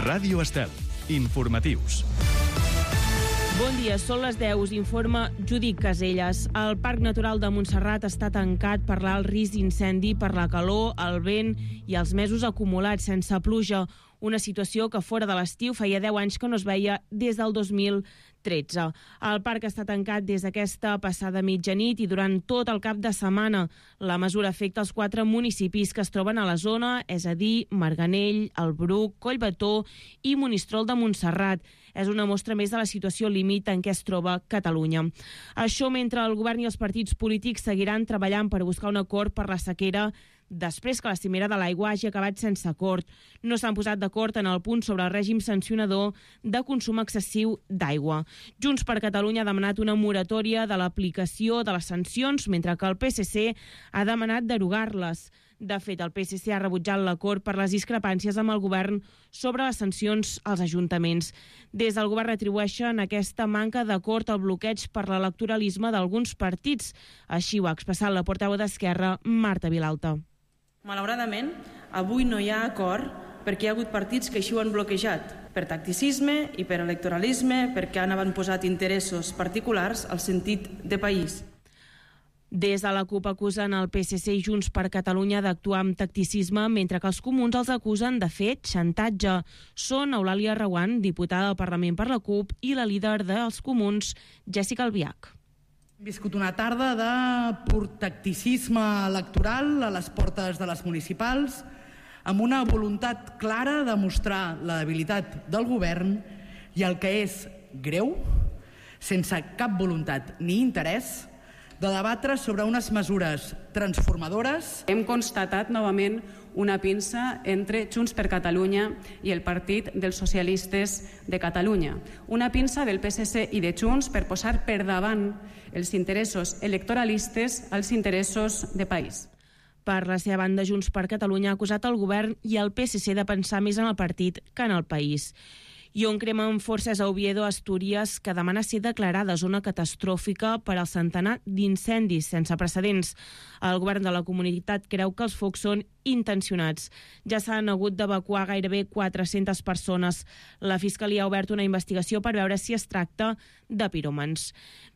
Ràdio Estel. Informatius. Bon dia, són les 10, us informa Judit Caselles. El Parc Natural de Montserrat està tancat per l'alt risc d'incendi per la calor, el vent i els mesos acumulats sense pluja. Una situació que fora de l'estiu feia 10 anys que no es veia des del 2013. El parc està tancat des d'aquesta passada mitjanit i durant tot el cap de setmana. La mesura afecta els 4 municipis que es troben a la zona, és a dir, Marganell, el Bruc, Collbató i Monistrol de Montserrat. És una mostra més de la situació límit en què es troba Catalunya. Això mentre el govern i els partits polítics seguiran treballant per buscar un acord per la sequera després que la cimera de l'aigua hagi acabat sense acord. No s'han posat d'acord en el punt sobre el règim sancionador de consum excessiu d'aigua. Junts per Catalunya ha demanat una moratòria de l'aplicació de les sancions, mentre que el PSC ha demanat derogar-les. De fet, el PSC ha rebutjat l'acord per les discrepàncies amb el govern sobre les sancions als ajuntaments. Des del govern atribueixen aquesta manca d'acord al bloqueig per l'electoralisme d'alguns partits. Així ho ha expressat la portaveu d'Esquerra, Marta Vilalta. Malauradament, avui no hi ha acord perquè hi ha hagut partits que així ho han bloquejat, per tacticisme i per electoralisme, perquè han avantposat interessos particulars al sentit de país. Des de la CUP acusen el PSC i Junts per Catalunya d'actuar amb tacticisme, mentre que els comuns els acusen de fer xantatge. Són Eulàlia Reguant, diputada del Parlament per la CUP, i la líder dels comuns, Jèssica Albiach. Hem viscut una tarda de pur tacticisme electoral a les portes de les municipals, amb una voluntat clara de mostrar la debilitat del govern i el que és greu, sense cap voluntat ni interès, de debatre sobre unes mesures transformadores. Hem constatat novament una pinça entre Junts per Catalunya i el Partit dels Socialistes de Catalunya. Una pinça del PSC i de Junts per posar per davant els interessos electoralistes als interessos de país. Per la seva banda, Junts per Catalunya ha acusat el govern i el PSC de pensar més en el partit que en el país. I on cremen forces a Oviedo, Astúries, que demana ser declarada zona catastròfica per al centenar d'incendis sense precedents. El govern de la comunitat creu que els focs són intencionats. Ja s'han hagut d'evacuar gairebé 400 persones. La Fiscalia ha obert una investigació per veure si es tracta de piròmans.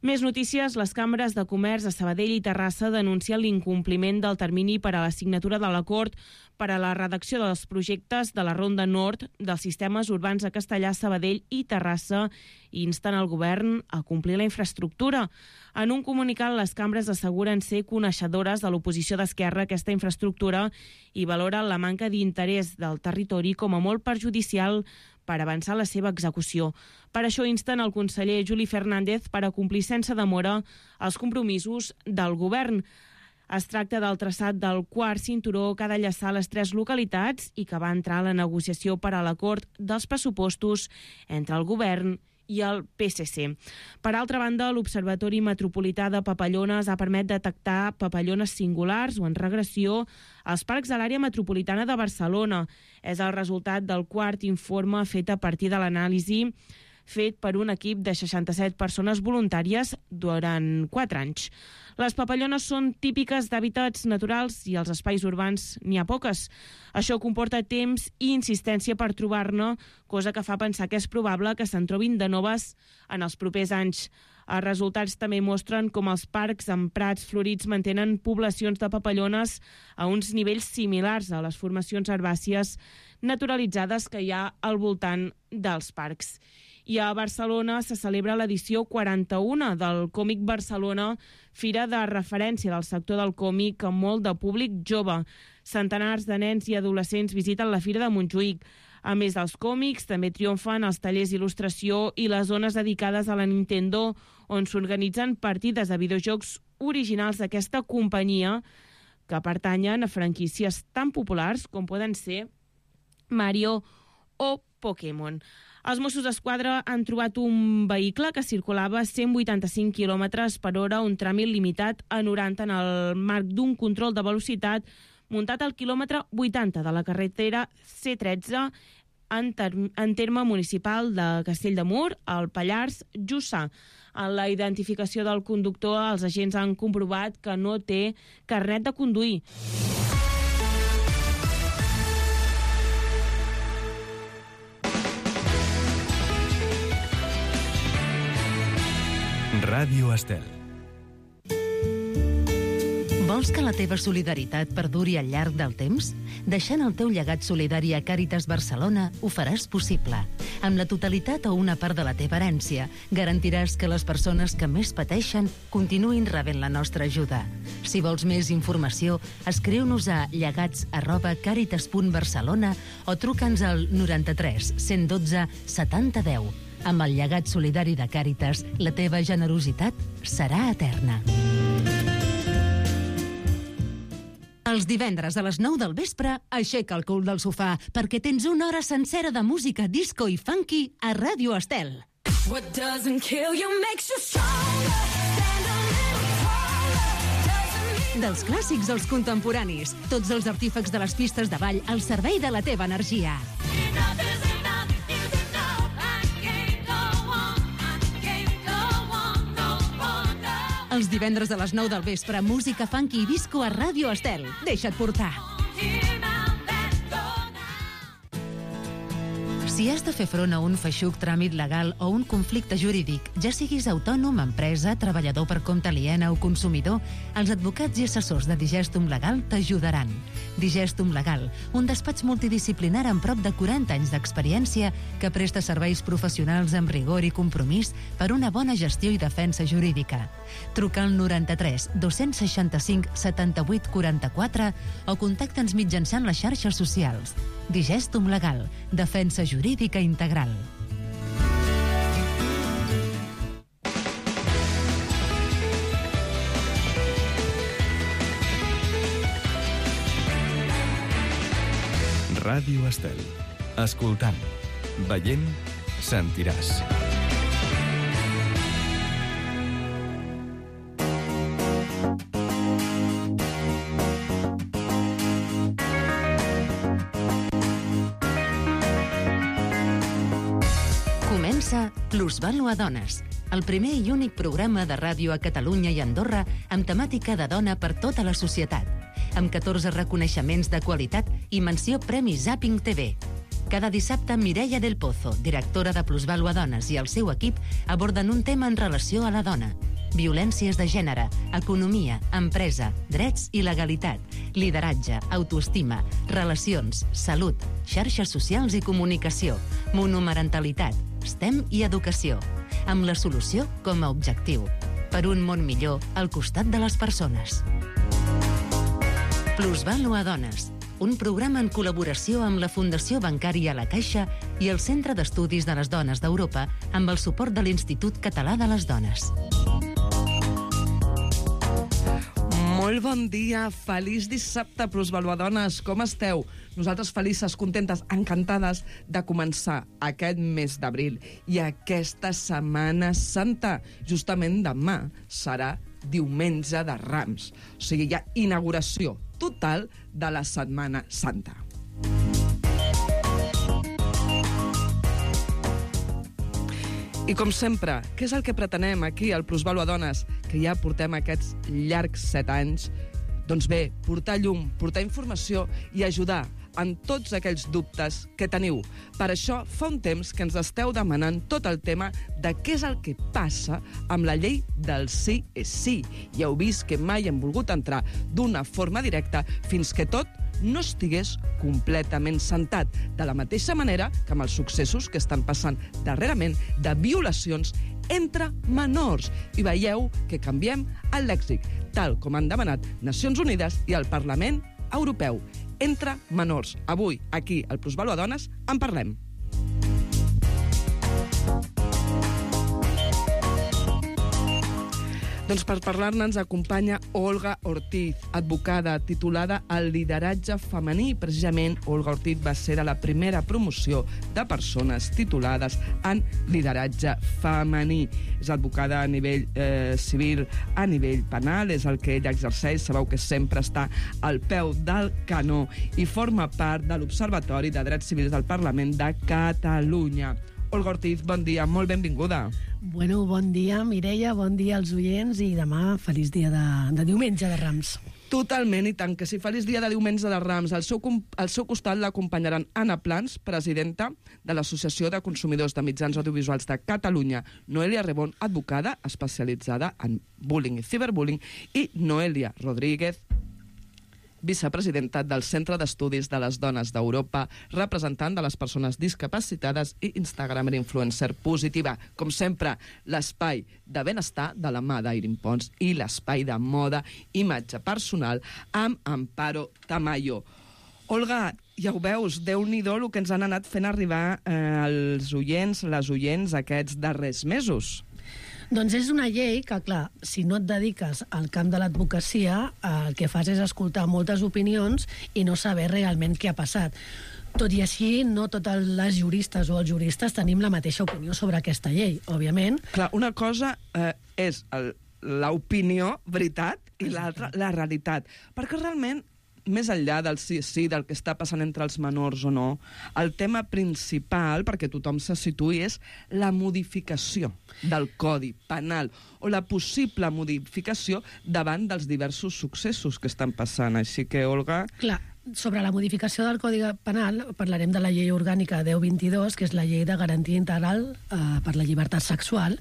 Més notícies, les cambres de comerç a Sabadell i Terrassa denuncien l'incompliment del termini per a la signatura de l'acord per a la redacció dels projectes de la Ronda Nord dels sistemes urbans a Castellar, Sabadell i Terrassa i insten el govern a complir la infraestructura. En un comunicat, les cambres asseguren ser coneixedores de l'oposició d'Esquerra a aquesta infraestructura i valoren la manca d'interès del territori com a molt perjudicial per avançar la seva execució. Per això insten el conseller Juli Fernández per a complir sense demora els compromisos del govern. Es tracta del traçat del quart cinturó que ha d'enllaçar les 3 localitats i que va entrar a la negociació per a l'acord dels pressupostos entre el govern i el PSC. Per altra banda, l'Observatori Metropolità de Papallones ha permès detectar papallones singulars o en regressió als parcs de l'àrea metropolitana de Barcelona. És el resultat del quart informe fet a partir de l'anàlisi fet per un equip de 67 persones voluntàries durant 4 anys. Les papallones són típiques d'hàbitats naturals i als espais urbans n'hi ha poques. Això comporta temps i insistència per trobar-ne, cosa que fa pensar que és probable que se'n trobin de noves en els propers anys. Els resultats també mostren com els parcs amb prats florits mantenen poblacions de papallones a uns nivells similars a les formacions herbàcies naturalitzades que hi ha al voltant dels parcs. I a Barcelona se celebra l'edició 41 del Còmic Barcelona, fira de referència del sector del còmic amb molt de públic jove. Centenars de nens i adolescents visiten la Fira de Montjuïc. A més dels còmics, també triomfen els tallers d'il·lustració i les zones dedicades a la Nintendo, on s'organitzen partides de videojocs originals d'aquesta companyia que pertanyen a franquícies tan populars com poden ser Mario o Pokémon. Els Mossos d'Esquadra han trobat un vehicle que circulava a 185 km per hora, un tràmit limitat a 90 en el marc d'un control de velocitat muntat al quilòmetre 80 de la carretera C13 en terme municipal de Castell de Mur, al Pallars Jussà. En la identificació del conductor, els agents han comprovat que no té carnet de conduir. Ràdio Estel. Vols que la teva solidaritat perduri al llarg del temps? Deixant el teu llegat solidari a Càritas Barcelona ho faràs possible. Amb la totalitat o una part de la teva herència, garantiràs que les persones que més pateixen continuïn rebent la nostra ajuda. Si vols més informació, escriu-nos a llegats@caritas.barcelona o truca'ns al 93 112 70 10. Amb el llegat solidari de Càritas, la teva generositat serà eterna. Els divendres a les 9 del vespre, aixeca el cul del sofà, perquè tens una hora sencera de música disco i funky a Ràdio Estel. Dels clàssics als contemporanis, tots els artífecs de les pistes de ball al servei de la teva energia. Els divendres a les 9 del vespre, música funky i disco a Ràdio Estel. Deixa't portar. Si has de fer front a un feixuc tràmit legal o un conflicte jurídic, ja siguis autònom, empresa, treballador per compte aliena o consumidor, els advocats i assessors de Digestum Legal t'ajudaran. Digestum Legal, un despatx multidisciplinar amb prop de 40 anys d'experiència que presta serveis professionals amb rigor i compromís per una bona gestió i defensa jurídica. Truca al 93 265 78 44 o contacta'ns mitjançant les xarxes socials. Digestum Legal, defensa jurídica integral. Ràdio Estel. Escoltant, veient, sentiràs. Comença Plusvàlua Dones, el primer i únic programa de ràdio a Catalunya i Andorra amb temàtica de dona per tota la societat, amb 14 reconeixements de qualitat i menció Premi Zapping TV. Cada dissabte, Mireia del Pozo, directora de Plusvàlua Dones, i el seu equip aborden un tema en relació a la dona. Violències de gènere, economia, empresa, drets i legalitat, lideratge, autoestima, relacions, salut, xarxes socials i comunicació, monomarentalitat, STEM i educació, amb la solució com a objectiu. Per un món millor al costat de les persones. Plusvàlua Dones, un programa en col·laboració amb la Fundació Bancària La Caixa i el Centre d'Estudis de les Dones d'Europa amb el suport de l'Institut Català de les Dones. Molt bon dia, feliç dissabte, Plusvàlua Dones, com esteu? Nosaltres felices, contentes, encantades de començar aquest mes d'abril i aquesta Setmana Santa. Justament demà serà diumenge de Rams, o sigui, hi ha inauguració total de la Setmana Santa. I com sempre, què és el que pretenem aquí al Plusvàlua Dones, que ja portem aquests llargs 7 anys? Doncs bé, portar llum, portar informació i ajudar en tots aquells dubtes que teniu. Per això fa un temps que ens esteu demanant tot el tema de què és el que passa amb la llei del sí és sí. Ja heu vist que mai hem volgut entrar d'una forma directa fins que tot no estigués completament sentat, de la mateixa manera que amb els successos que estan passant darrerament de violacions entre menors. I veieu que canviem el lèxic, tal com han demanat Nacions Unides i el Parlament Europeu. Entre menors. Avui, aquí, al Plusvàlua Dones, en parlem. Doncs per parlar-ne ens acompanya Olga Ortiz, advocada titulada al lideratge femení. Precisament, Olga Ortiz va ser de la primera promoció de persones titulades en lideratge femení. És advocada a nivell civil, a nivell penal, és el que ella exerceix. Sabeu que sempre està al peu del canó i forma part de l'Observatori de Drets Civils del Parlament de Catalunya. Olga Ortiz, bon dia, molt benvinguda. Bueno, bon dia, Mireia, bon dia als oients i demà feliç dia de diumenge de Rams. Totalment, i tant, que si feliç dia de diumenge de Rams. Al seu costat l'acompanyaran Anna Plans, presidenta de l'Associació de Consumidors de Mitjans Audiovisuals de Catalunya, Noelia Rebón, advocada especialitzada en bullying i ciberbullying, i Noelia Rodríguez, vicepresidenta del Centre d'Estudis de les Dones d'Europa, representant de les persones discapacitades i Instagramer influencer positiva. Com sempre, l'espai de benestar de la mà d'Airin Pons i l'espai de moda, imatge personal, amb Amparo Tamayo. Olga, ja ho veus, Déu-n'hi-do el que ens han anat fent arribar els oients, les oients aquests darrers mesos. Doncs és una llei que, clar, si no et dediques al camp de l'advocacia, el que fas és escoltar moltes opinions i no saber realment què ha passat. Tot i així, no totes les juristes o els juristes tenim la mateixa opinió sobre aquesta llei, òbviament. Clar, una cosa és l'opinió, veritat, i l'altra, la realitat. Perquè realment, més enllà del sí, del que està passant entre els menors o no, el tema principal, perquè tothom se situï, és la modificació del Codi Penal o la possible modificació davant dels diversos successos que estan passant. Així que, Olga... Clar, sobre la modificació del Codi Penal parlarem de la llei orgànica 1022, que és la llei de garantia integral per la llibertat sexual,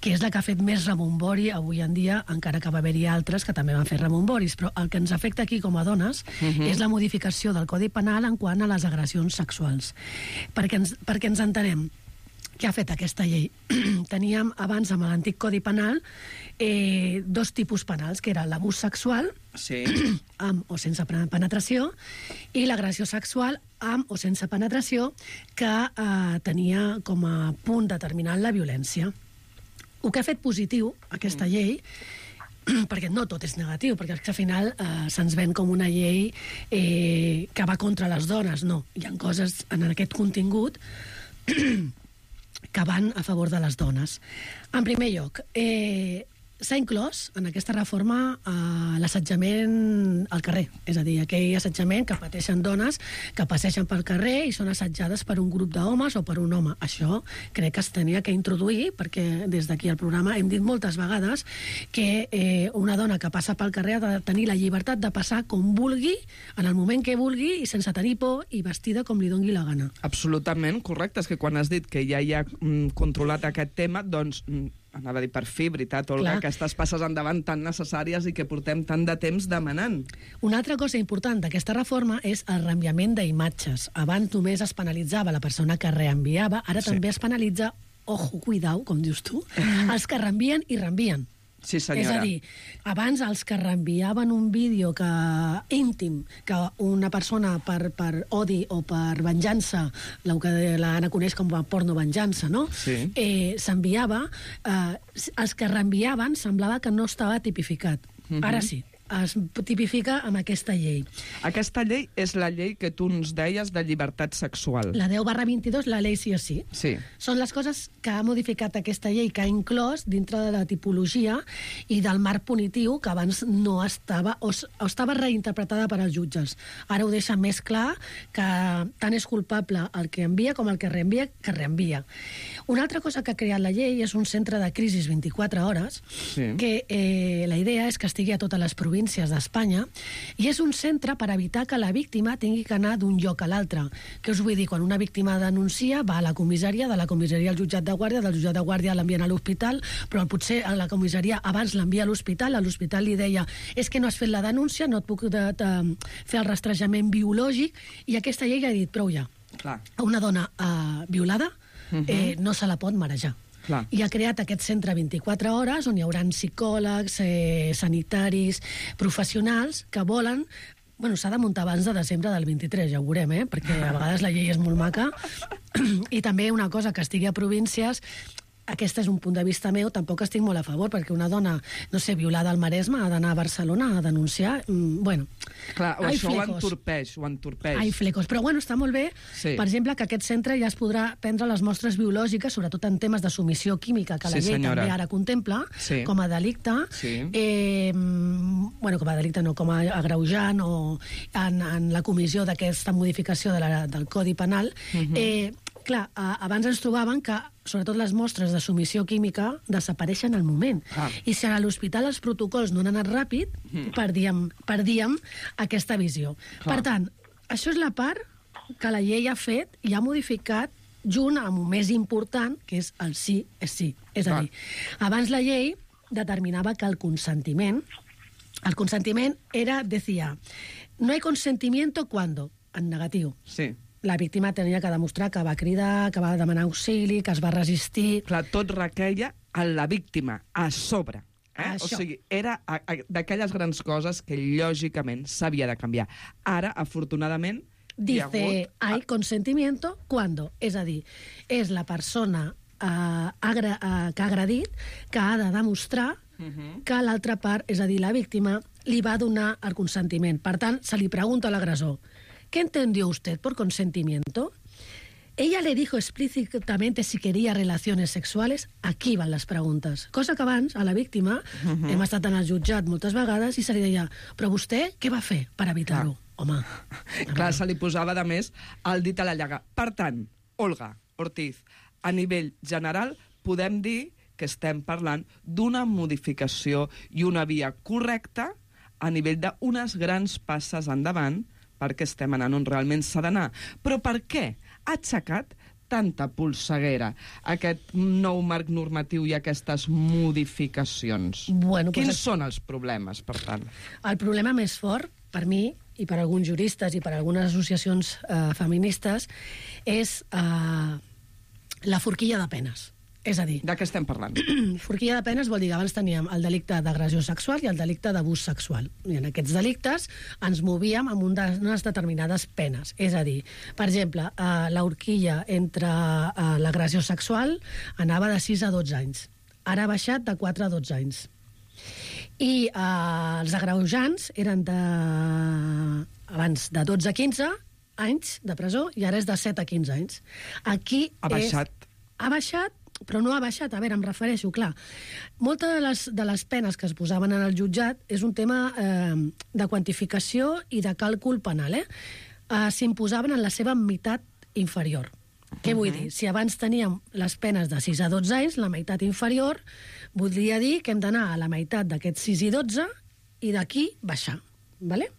que és la que ha fet més rebombori avui en dia, encara que va haver-hi altres que també van fer rebomboris, però el que ens afecta aquí com a dones és la modificació del Codi Penal en quant a les agressions sexuals. Perquè ens entenem, què ha fet aquesta llei? Teníem abans, amb l'antic Codi Penal, dos tipus penals, que era l'abús sexual, sí, amb o sense penetració, i l'agressió sexual amb o sense penetració, que tenia com a punt determinant la violència. El que ha fet positiu aquesta llei, perquè no tot és negatiu, perquè al final se'ns ven com una llei que va contra les dones. No, hi ha coses en aquest contingut que van a favor de les dones. En primer lloc, s'ha inclòs en aquesta reforma l'assetjament al carrer, és a dir, aquell assetjament que pateixen dones que passegen pel carrer i són assetjades per un grup d'homes o per un home. Això crec que es tenia que introduir, perquè des d'aquí al programa hem dit moltes vegades que una dona que passa pel carrer ha de tenir la llibertat de passar com vulgui, en el moment que vulgui i sense tenir por i vestida com li doni la gana. Absolutament correcte. És que quan has dit que ja hi ha controlat aquest tema, doncs... anava a dir per fi, veritat, Olga, Clar. aquestes passes endavant tan necessàries i que portem tant de temps demanant. Una altra cosa important d'aquesta reforma és el reenviament d'imatges. Abans només es penalitzava la persona que reenviava, ara també es penalitza, ojo, cuidao, com dius tu, els que reenvien i reenvien. Sí, senyora. És a dir, abans els que reenviaven un vídeo íntim que una persona per odi o per venjança, el que l'Anna coneix com a porno-venjança, no? Sí. S'enviava, els que reenviaven semblava que no estava tipificat. Ara sí, es tipifica amb aquesta llei. Aquesta llei és la llei que tu ens deies de llibertat sexual. La 10/22, la llei sí o sí. Sí. Són les coses que ha modificat aquesta llei, que ha inclòs dintre de la tipologia i del marc punitiu que abans no estava, o estava reinterpretada per als jutges. Ara ho deixa més clar que tant és culpable el que envia com el que reenvia. Una altra cosa que ha creat la llei és un centre de crisis 24 hores, Sí. que la idea és que estigui a totes les províncies d'Espanya, i és un centre per evitar que la víctima tingui que anar d'un lloc a l'altre. Què us vull dir? Quan una víctima denuncia, va a la comissaria, de la comissaria al jutjat de guàrdia, del jutjat de guàrdia l'envien a l'hospital, però potser a la comissaria abans l'envia a l'hospital li deia és que no has fet la denúncia, no et puc fer el rastrejament biològic, i aquesta llei ha dit prou ja. Clar. A una dona violada no se la pot marejar. Clar. I ha creat aquest centre 24 hores on hi haurà psicòlegs, sanitaris, professionals que volen... Bueno, s'ha de muntar abans de desembre del 23, ja ho veurem, perquè a vegades la llei és molt maca. I també una cosa, que estigui a províncies... Aquest és un punt de vista meu, tampoc estic molt a favor, perquè una dona, no sé, violada al Maresme ha d'anar a Barcelona a denunciar. Bueno, Clar, això flecos. ho entorpeix. Ai, flecos. Però bueno, està molt bé, Sí. per exemple, que aquest centre ja es podrà prendre les mostres biològiques, sobretot en temes de submissió química, que la Sí, llei senyora. també ara contempla, Sí. com a delicte. Sí. Bueno, com a delicte no, com a agreujant o en la comissió d'aquesta modificació del Codi Penal. Clar, abans ens trobaven que sobretot les mostres de submissió química, desapareixen al moment. I si a l'hospital els protocols no han anat ràpid, perdíem aquesta visió. Per tant, això és la part que la llei ha fet i ha modificat junt amb el més important, que és el sí és sí. És a dir, abans la llei determinava que el consentiment era, decía, no hay consentimiento cuando, en negatiu. Sí. La víctima tenia que demostrar que va cridar, que va demanar auxili, que es va resistir... Clar, tot requeia a la víctima, a sobre. O sigui, era d'aquelles grans coses que lògicament s'havia de canviar. Ara, afortunadament, dice, hay consentimiento cuando, és a dir, és la persona que ha agredit que ha de demostrar que l'altra part, és a dir, la víctima, li va donar el consentiment. Per tant, se li pregunta a l'agressor, ¿qué entendió usted por consentimiento? Ella le dijo explícitamente si quería relaciones sexuales. Aquí van les preguntes. Cosa que abans, a la víctima, hem estat en el jutjat moltes vegades i se li deia, però vostè què va fer per evitar-ho? Home. Clar, se li posava, de més, el dit a la llaga. Per tant, Olga Ortiz, a nivell general, podem dir que estem parlant d'una modificació i una via correcta a nivell d'unes grans passes endavant perquè estem anant on realment s'ha d'anar. Però per què ha aixecat tanta polseguera aquest nou marc normatiu i aquestes modificacions? Bueno, Quins són els problemes, per tant? El problema més fort, per mi, i per alguns juristes i per algunes associacions feministes, és la forquilla de penes. És a dir... De què estem parlant? Forquilla de penes vol dir que abans teníem el delicte d'agressió sexual i el delicte d'abús sexual. I en aquests delictes ens movíem amb unes determinades penes. És a dir, per exemple, l'horquilla entre l'agressió sexual anava de 6 a 12 anys. Ara ha baixat de 4 a 12 anys. I els agreujants eren abans de 12 a 15 anys de presó i ara és de 7 a 15 anys. Aquí ha baixat. Ha baixat, però no ha baixat. A veure, em refereixo, clar. Moltes de les penes que es posaven en el jutjat és un tema de quantificació i de càlcul penal. S'imposaven en la seva meitat inferior. Què vull dir? Si abans teníem les penes de 6 a 12 anys, la meitat inferior, voldria dir que hem d'anar a la meitat d'aquests 6 i 12 i d'aquí baixar. Vale?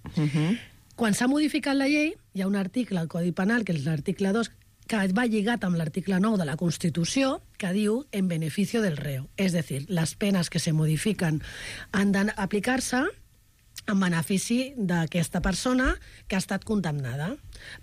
Quan s'ha modificat la llei, hi ha un article al Codi Penal, que és l'article 2, que va lligat amb l'article 9 de la Constitució, que diu en beneficio del reo. És a dir, les penes que se modifiquen han d'aplicar-se en benefici d'aquesta persona que ha estat condemnada.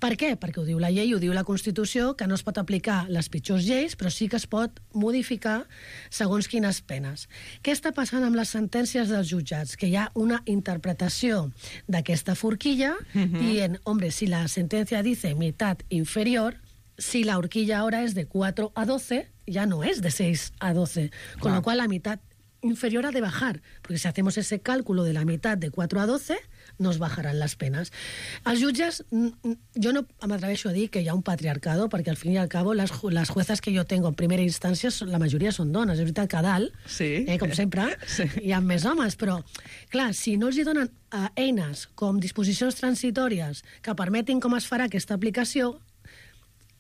Per què? Perquè ho diu la llei, ho diu la Constitució, que no es pot aplicar les pitjors lleis, però sí que es pot modificar segons quines penes. Què està passant amb les sentències dels jutjats? Que hi ha una interpretació d'aquesta forquilla dient, hombre, si la sentencia dice mitad inferior, si la horquilla ahora es de 4 a 12, ya no es de 6 a 12. Con lo cual la mitad inferior ha de bajar, porque si hacemos ese cálculo de la mitad de 4 a 12, nos bajarán las penas. Els jutges, jo no m'atreveixo a dir que hi ha un patriarcado, perquè al fin i al cabo les juezas que jo tengo en primera instància, la majoria són dones. És veritat que a dalt, com sempre, hi ha més homes, però, clar, si no els hi donen eines com disposicions transitòries que permetin com es farà aquesta aplicació,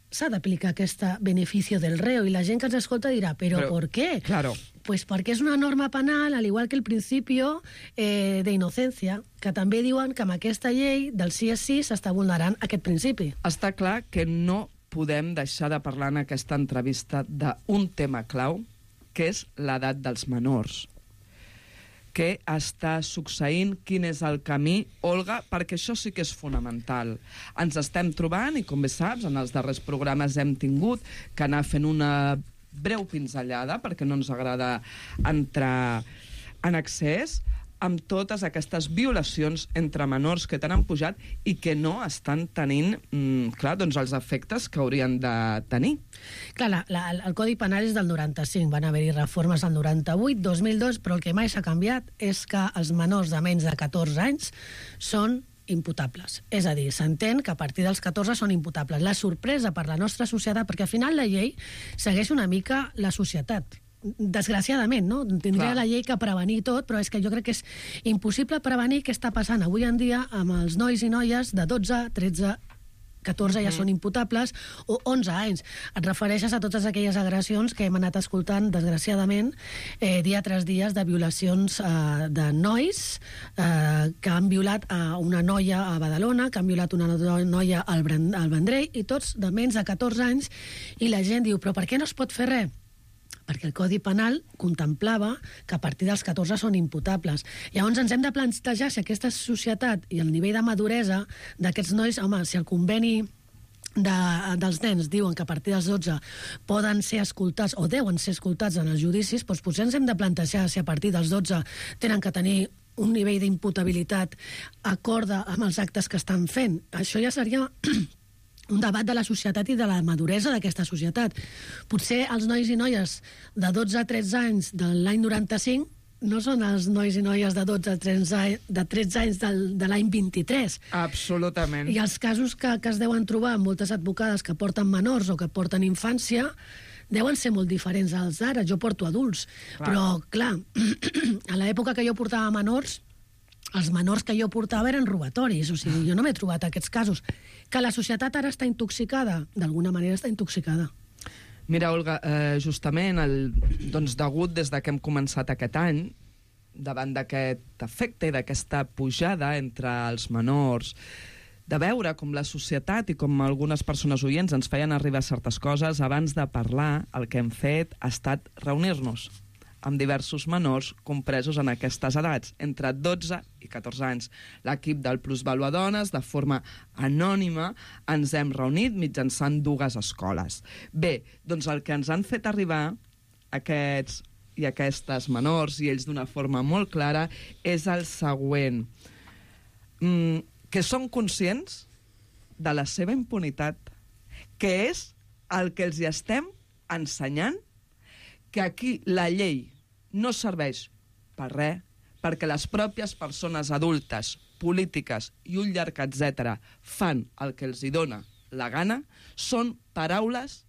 s'ha d'aplicar aquest beneficio del reo, i la gent que ens escolta dirà, però ¿por qué? Claro. Pues perquè és una norma penal, al igual que el principio de inocencia, que també diuen que amb aquesta llei del sí és sí s'està vulnerant aquest principi. Està clar que no podem deixar de parlar en aquesta entrevista d'un tema clau, que és l'edat dels menors. Què està succeint, quin és el camí, Olga, perquè això sí que és fonamental. Ens estem trobant, i com bé saps, en els darrers programes hem tingut que anar fent una breu pinzellada, perquè no ens agrada entrar en excés, amb totes aquestes violacions entre menors que t'han pujat i que no estan tenint, clar, doncs els efectes que haurien de tenir. Clar, el Codi Penal és del 95, van haver-hi reformes al 98, 2002, però el que mai s'ha canviat és que els menors de menys de 14 anys són imputables. És a dir, s'entén que a partir dels 14 són imputables. La sorpresa per la nostra societat, perquè al final la llei segueix una mica la societat. Desgraciadament, no? Tindria la llei que prevenir tot, però és que jo crec que és impossible prevenir què està passant avui en dia amb els nois i noies de 12, 13, 14 ja són imputables, o 11 anys. Et refereixes a totes aquelles agressions que hem anat escoltant, desgraciadament, dia tras dia, de violacions de nois que han violat una noia a Badalona, que han violat una noia al Vendrell, i tots de menys de 14 anys, i la gent diu, però per què no es pot fer res? Perquè el Codi Penal contemplava que a partir dels 14 són imputables. Llavors ens hem de plantejar si aquesta societat i el nivell de maduresa d'aquests nois, home, si el conveni dels nens diuen que a partir dels 12 poden ser escoltats o deuen ser escoltats en els judicis, doncs potser ens hem de plantejar si a partir dels 12 tenen que tenir un nivell d'imputabilitat acorde amb els actes que estan fent. Això ja seria un debat de la societat i de la maduresa d'aquesta societat. Potser els nois i noies de 12 a 13 anys de l'any 95 no són els nois i noies de 12 a 13 anys de l'any 23. Absolutament. I els casos que es deuen trobar amb moltes advocades que porten menors o que porten infància deuen ser molt diferents als d'ara. Jo porto adults. Clar. Però, clar, a l'època que jo portava menors, els menors que jo portava eren robatoris. O sigui, jo no m'he trobat aquests casos. Que la societat ara està intoxicada? D'alguna manera està intoxicada. Mira, Olga, justament, degut des que hem començat aquest any, davant d'aquest efecte i d'aquesta pujada entre els menors, de veure com la societat i com algunes persones oients ens feien arribar certes coses, abans de parlar, el que hem fet ha estat reunir-nos amb diversos menors compresos en aquestes edats, entre 12 i 14 anys. L'equip del Plusvàlua Dones, de forma anònima, ens hem reunit mitjançant 2 escoles. Bé, doncs el que ens han fet arribar aquests i aquestes menors, i ells d'una forma molt clara, és el següent. Que són conscients de la seva impunitat, que és el que els hi estem ensenyant, que aquí la llei no serveix per res, perquè les pròpies persones adultes, polítiques i un llarg etcètera fan el que els hi dona la gana, són paraules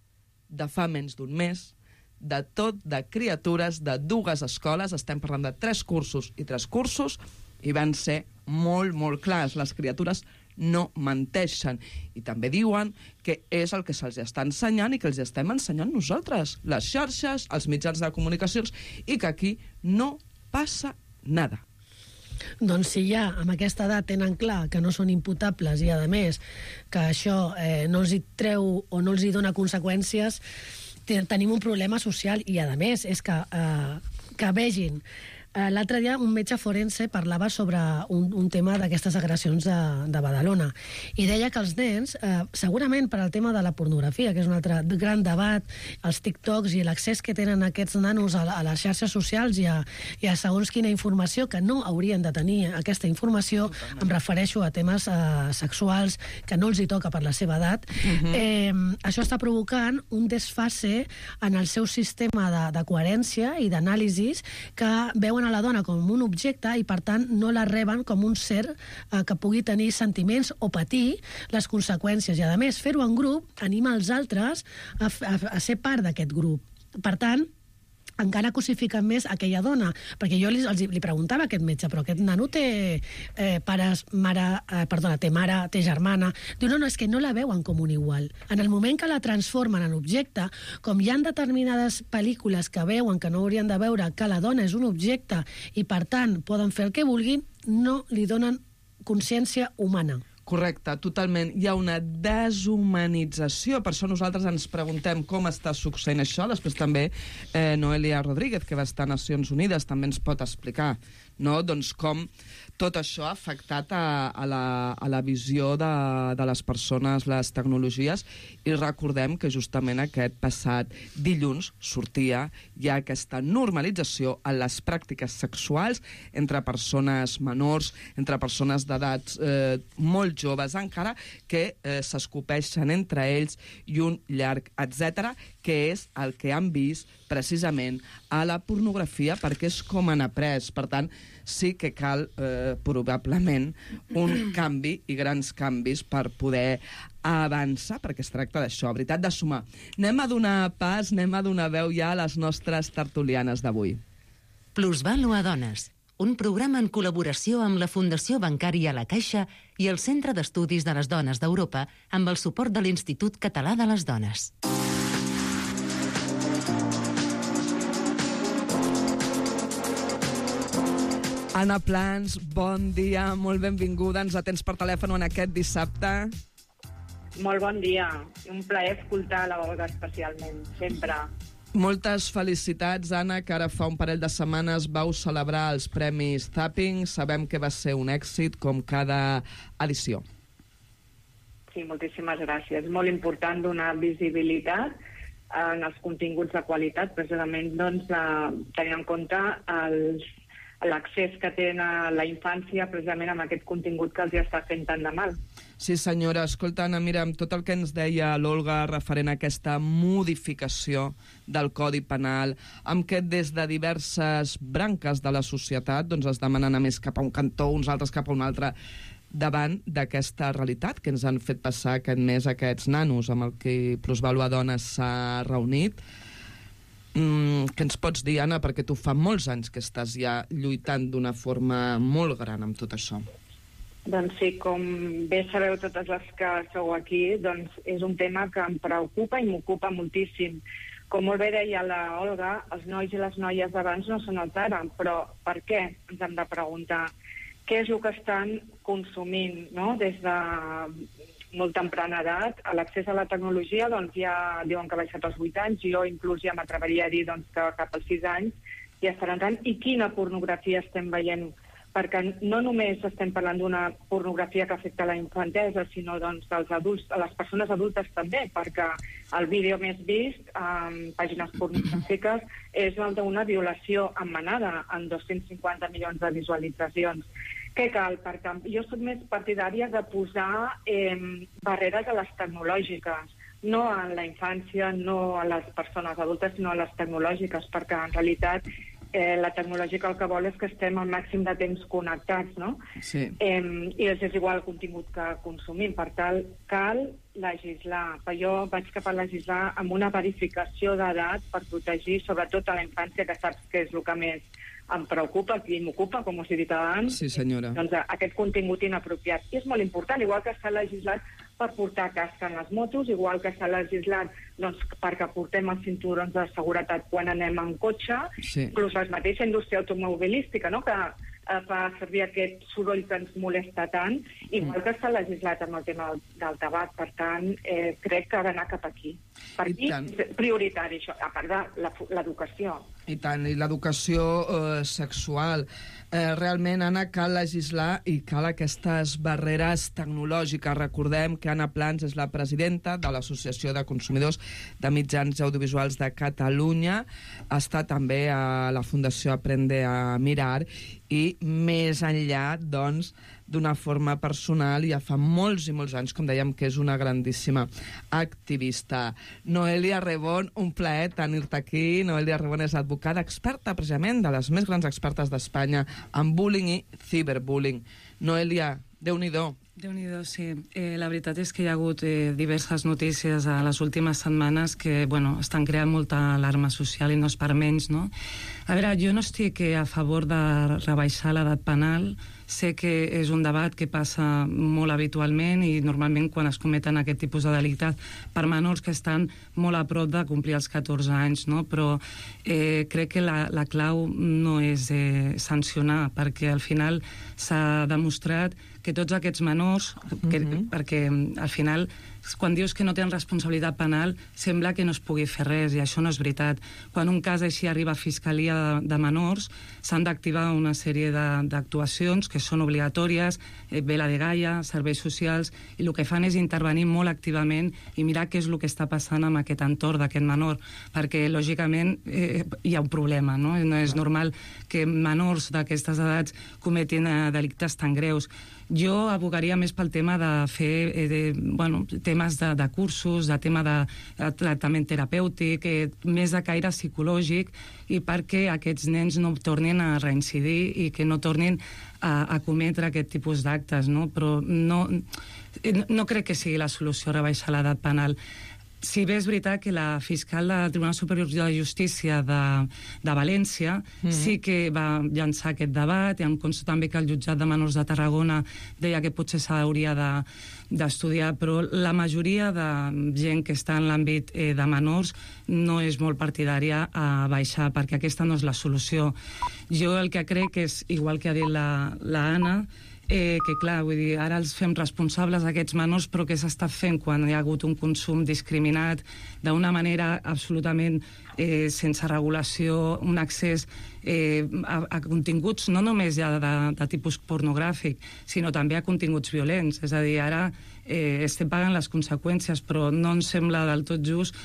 de fa menys d'un mes, de tot, de criatures, de 2 escoles, estem parlant de 3 cursos i 3 cursos, i van ser molt, molt clars. Les criatures no menteixen. I també diuen que és el que se'ls està ensenyant i que els estem ensenyant nosaltres, les xarxes, els mitjans de comunicacions, i que aquí no passa nada. Doncs si ja amb aquesta edat tenen clar que no són imputables i, a més, que això no els hi treu o no els hi dona conseqüències, tenim un problema social. I, a més, és que vegin. L'altre dia un metge forense parlava sobre un tema d'aquestes agressions de Badalona, i deia que els nens, segurament per al tema de la pornografia, que és un altre gran debat, els TikToks i l'accés que tenen aquests nanos a les xarxes socials i a segons quina informació, que no haurien de tenir aquesta informació, em refereixo a temes sexuals que no els hi toca per la seva edat, això està provocant un desfase en el seu sistema de coherència i d'anàlisis, que veuen a la dona com un objecte i, per tant, no la reben com un ser que pugui tenir sentiments o patir les conseqüències. I, a més, fer-ho en grup anima els altres a ser part d'aquest grup. Per tant, encara cosifiquen més aquella dona, perquè jo li preguntava a aquest metge, però aquest nano té té mare, té germana. Diu, no, és que no la veuen com un igual. En el moment que la transformen en objecte, com hi ha determinades pel·lícules que veuen que no haurien de veure que la dona és un objecte i, per tant, poden fer el que vulguin, no li donen consciència humana. Correcte, totalment. Hi ha una deshumanització. Per això nosaltres ens preguntem com està succeint això. Després també Noelia Rodríguez, que va estar a Nacions Unides, també ens pot explicar, no? Doncs com tot això ha afectat a la visió de les persones, les tecnologies, i recordem que justament aquest passat dilluns sortia ja aquesta normalització en les pràctiques sexuals entre persones menors, entre persones d'edats molt joves encara, que s'escopeixen entre ells i un llarg etcètera, que és el que han vist precisament a la pornografia, perquè és com han après. Per tant, sí que cal probablement un canvi i grans canvis per poder avançar, perquè es tracta d'això, veritat, de sumar. Anem a donar pas, anem a donar veu ja a les nostres tertulianes d'avui. Plusvàlua Dones, un programa en col·laboració amb la Fundació Bancària La Caixa i el Centre d'Estudis de les Dones d'Europa amb el suport de l'Institut Català de les Dones. Anna Plans, bon dia, molt benvinguda. Ens atens per telèfon en aquest dissabte. Molt bon dia. Un plaer escoltar la Olga especialment, sempre. Moltes felicitats, Anna, que ara fa un parell de setmanes vau celebrar els Premis Zapping. Sabem que va ser un èxit, com cada edició. Sí, moltíssimes gràcies. És molt important donar visibilitat en els continguts de qualitat, precisament tenint en compte l'accés que tenen la infància precisament amb aquest contingut que els està fent tant de mal. Sí, senyora. Escolta, Anna, mira, amb tot el que ens deia l'Olga referent a aquesta modificació del Codi Penal, amb què des de diverses branques de la societat es demanen a més cap a un cantó, uns altres cap a un altre, davant d'aquesta realitat que ens han fet passar aquest mes aquests nanos amb el que Plusvàlua Dones s'ha reunit. Què ens pots dir, Anna, perquè tu fa molts anys que estàs ja lluitant d'una forma molt gran amb tot això? Doncs sí, com bé sabeu totes les que sou aquí, doncs és un tema que em preocupa i m'ocupa moltíssim. Com molt bé deia la Olga, els nois i les noies d'abans no són els d'ara, però per què? Ens hem de preguntar què és el que estan consumint, no? Des de molt temprana edat, l'accés a la tecnologia ja diuen que ha baixat als 8 anys, jo inclús ja m'atreviria a dir que cap als 6 anys ja estan entrant. I quina pornografia estem veient? Perquè no només estem parlant d'una pornografia que afecta la infantesa, sinó dels adults, a les persones adultes també, perquè el vídeo més vist en pàgines pornogràfiques és el d'una violació en manada, amb 250 milions de visualitzacions. Què cal? Perquè jo soc més partidària de posar barreres a les tecnològiques, no a la infància, no a les persones adultes, sinó a les tecnològiques, perquè en realitat la tecnològica el que vol és que estem al màxim de temps connectats, no? Sí. I és igual el contingut que consumim. Per tant, cal legislar. Jo vaig cap a legislar amb una verificació d'edat per protegir sobretot a la infància, que saps que és el que més em preocupa, qui m'ocupa, com us he dit abans. Sí, senyora. Doncs aquest contingut inapropiat. I és molt important, igual que s'ha legislat per portar casc en les motos, igual que s'ha legislat perquè portem els cinturons de seguretat quan anem en cotxe, inclús la mateixa indústria automobilística, no?, que fa servir aquest soroll que ens molesta tant, igual que s'ha legislat amb el tema del tabac. Per tant, crec que ha d'anar cap aquí. Per aquí és prioritari això, a part de l'educació. I tant, i l'educació sexual. Realment, Anna, cal legislar i cal aquestes barreres tecnològiques. Recordem que Anna Plans és la presidenta de l'Associació de Consumidors de Mitjans Audiovisuals de Catalunya. Està també a la Fundació Aprende a Mirar i més enllà, doncs, d'una forma personal, ja fa molts i molts anys, com dèiem, que és una grandíssima activista. Noelia Rebón, un plaer tenir-te aquí. Noelia Rebón és advocada experta, precisament, de les més grans expertes d'Espanya en bullying i ciberbullying. Noelia, Déu-n'hi-do. Déu-n'hi-do, sí. La veritat és que hi ha hagut diverses notícies a les últimes setmanes que, estan creant molta alarma social i no és per menys, no? A veure, jo no estic a favor de rebaixar l'edat penal. Sé que és un debat que passa molt habitualment i normalment quan es cometen aquest tipus de delictes per menors que estan molt a prop de complir els 14 anys, no? Però crec que la clau no és sancionar, perquè al final s'ha demostrat que tots aquests menors, perquè al final quan dius que no tenen responsabilitat penal sembla que no es pugui fer res i això no és veritat. Quan un cas així arriba a Fiscalia de menors s'han d'activar una sèrie d'actuacions que són obligatòries, vela de Gaia, serveis socials, i el que fan és intervenir molt activament i mirar què és el que està passant amb aquest entorn d'aquest menor, perquè lògicament hi ha un problema, no? No és normal que menors d'aquestes edats cometin delictes tan greus. Jo abogaria més pel tema de fer temes de cursos, de tema de tractament terapèutic, més de caire psicològic, i perquè aquests nens no tornin a reincidir i que no tornin a cometre aquest tipus d'actes, no? Però no crec que sigui la solució rebaixar l'edat penal. Si bé és veritat que la fiscal del Tribunal Superior de Justícia de València sí que va llançar aquest debat, i em consta també que el jutjat de menors de Tarragona deia que potser s'hauria d'estudiar, però la majoria de gent que està en l'àmbit de menors no és molt partidària a baixar, perquè aquesta no és la solució. Jo el que crec és, igual que ha dit l'Anna, que clar, vull dir, ara els fem responsables d'aquests menors, però què s'està fent quan hi ha hagut un consum discriminat d'una manera absolutament sense regulació, un accés a continguts no només ja de tipus pornogràfic, sinó també a continguts violents. És a dir, ara estem pagant les conseqüències, però no ens sembla del tot just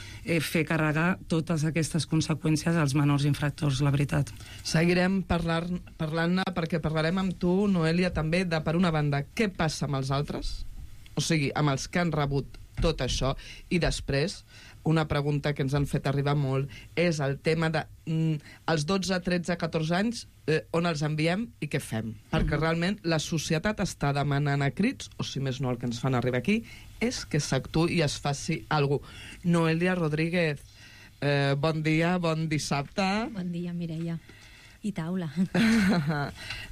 fer carregar totes aquestes conseqüències als menors infractors, la veritat. Seguirem parlant-ne perquè parlarem amb tu, Noelia, també de, per una banda, què passa amb els altres, o sigui, amb els que han rebut tot això, i després una pregunta que ens han fet arribar molt és el tema de els 12, 13, 14 anys, on els enviem i què fem? Perquè realment la societat està demanant a crits, o si més no el que ens fan arribar aquí, és que s'actuï i es faci alguna cosa. Noelia Rodríguez, bon dia, bon dissabte. Bon dia, Mireia. I taula.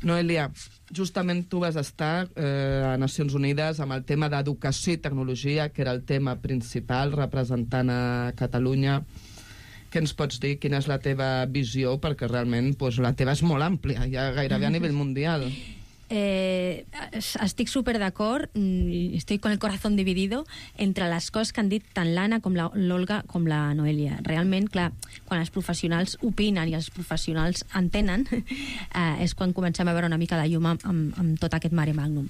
Noelia, justament tu vas estar a Nacions Unides amb el tema d'educació i tecnologia, que era el tema principal, representant a Catalunya. Què ens pots dir? Quina és la teva visió? Perquè realment la teva és molt àmplia, ja gairebé a nivell mundial. Estic super d'acord, estic con el corazón dividido entre les coses que han dit tant l'Anna com l'Olga com la Noelia. Realment, clar, quan els professionals opinen i els professionals entenen, és quan comencem a veure una mica de llum amb tot aquest mare magnum.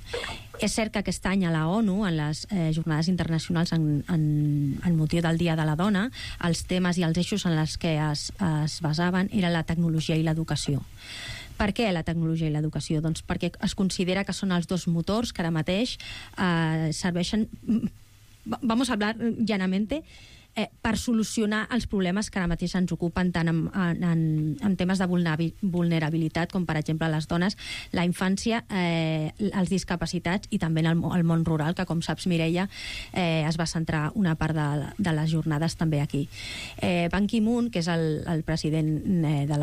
És cert que aquest any a la ONU, en les jornades internacionals en motiu del Dia de la Dona, els temes i els eixos en els que es basaven era la tecnologia i l'educació. Per què la tecnologia i l'educació? Doncs perquè es considera que són els dos motors que ara mateix serveixen, vamos a hablar llanamente, per solucionar els problemes que ara mateix ens ocupen tant en temes de vulnerabilitat com, per exemple, les dones, la infància, els discapacitats i també el món rural, que, com saps, Mireia, es va centrar una part de les jornades també aquí. Ban Ki-moon, que és el president de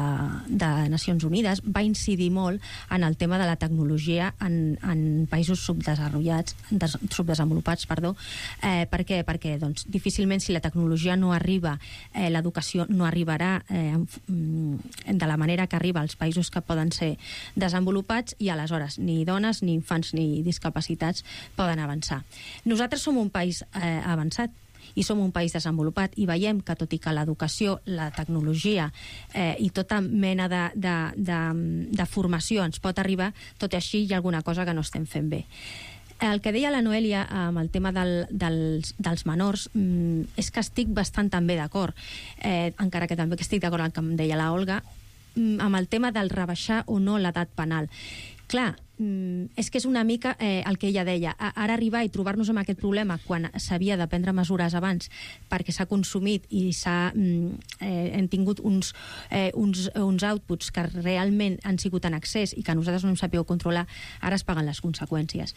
Nacions Unides, va incidir molt en el tema de la tecnologia en països subdesenvolupats. Per què? Perquè difícilment, si la tecnologia no arriba, l'educació no arribarà de la manera que arriba als països que poden ser desenvolupats, i aleshores ni dones, ni infants, ni discapacitats poden avançar. Nosaltres som un país avançat i som un país desenvolupat, i veiem que, tot i que l'educació, la tecnologia i tota mena de formació ens pot arribar, tot i així hi ha alguna cosa que no estem fent bé. El que deia la Noelia amb el tema dels menors és que estic bastant també d'acord, encara que també estic d'acord amb el que em deia la Olga, amb el tema del rebaixar o no l'edat penal. Clar, és que és una mica el que ella deia. Ara arribar i trobar-nos amb aquest problema quan s'havia de prendre mesures abans perquè s'ha consumit i hem tingut uns outputs que realment han sigut en excés i que nosaltres no hem sabut controlar, ara es paguen les conseqüències.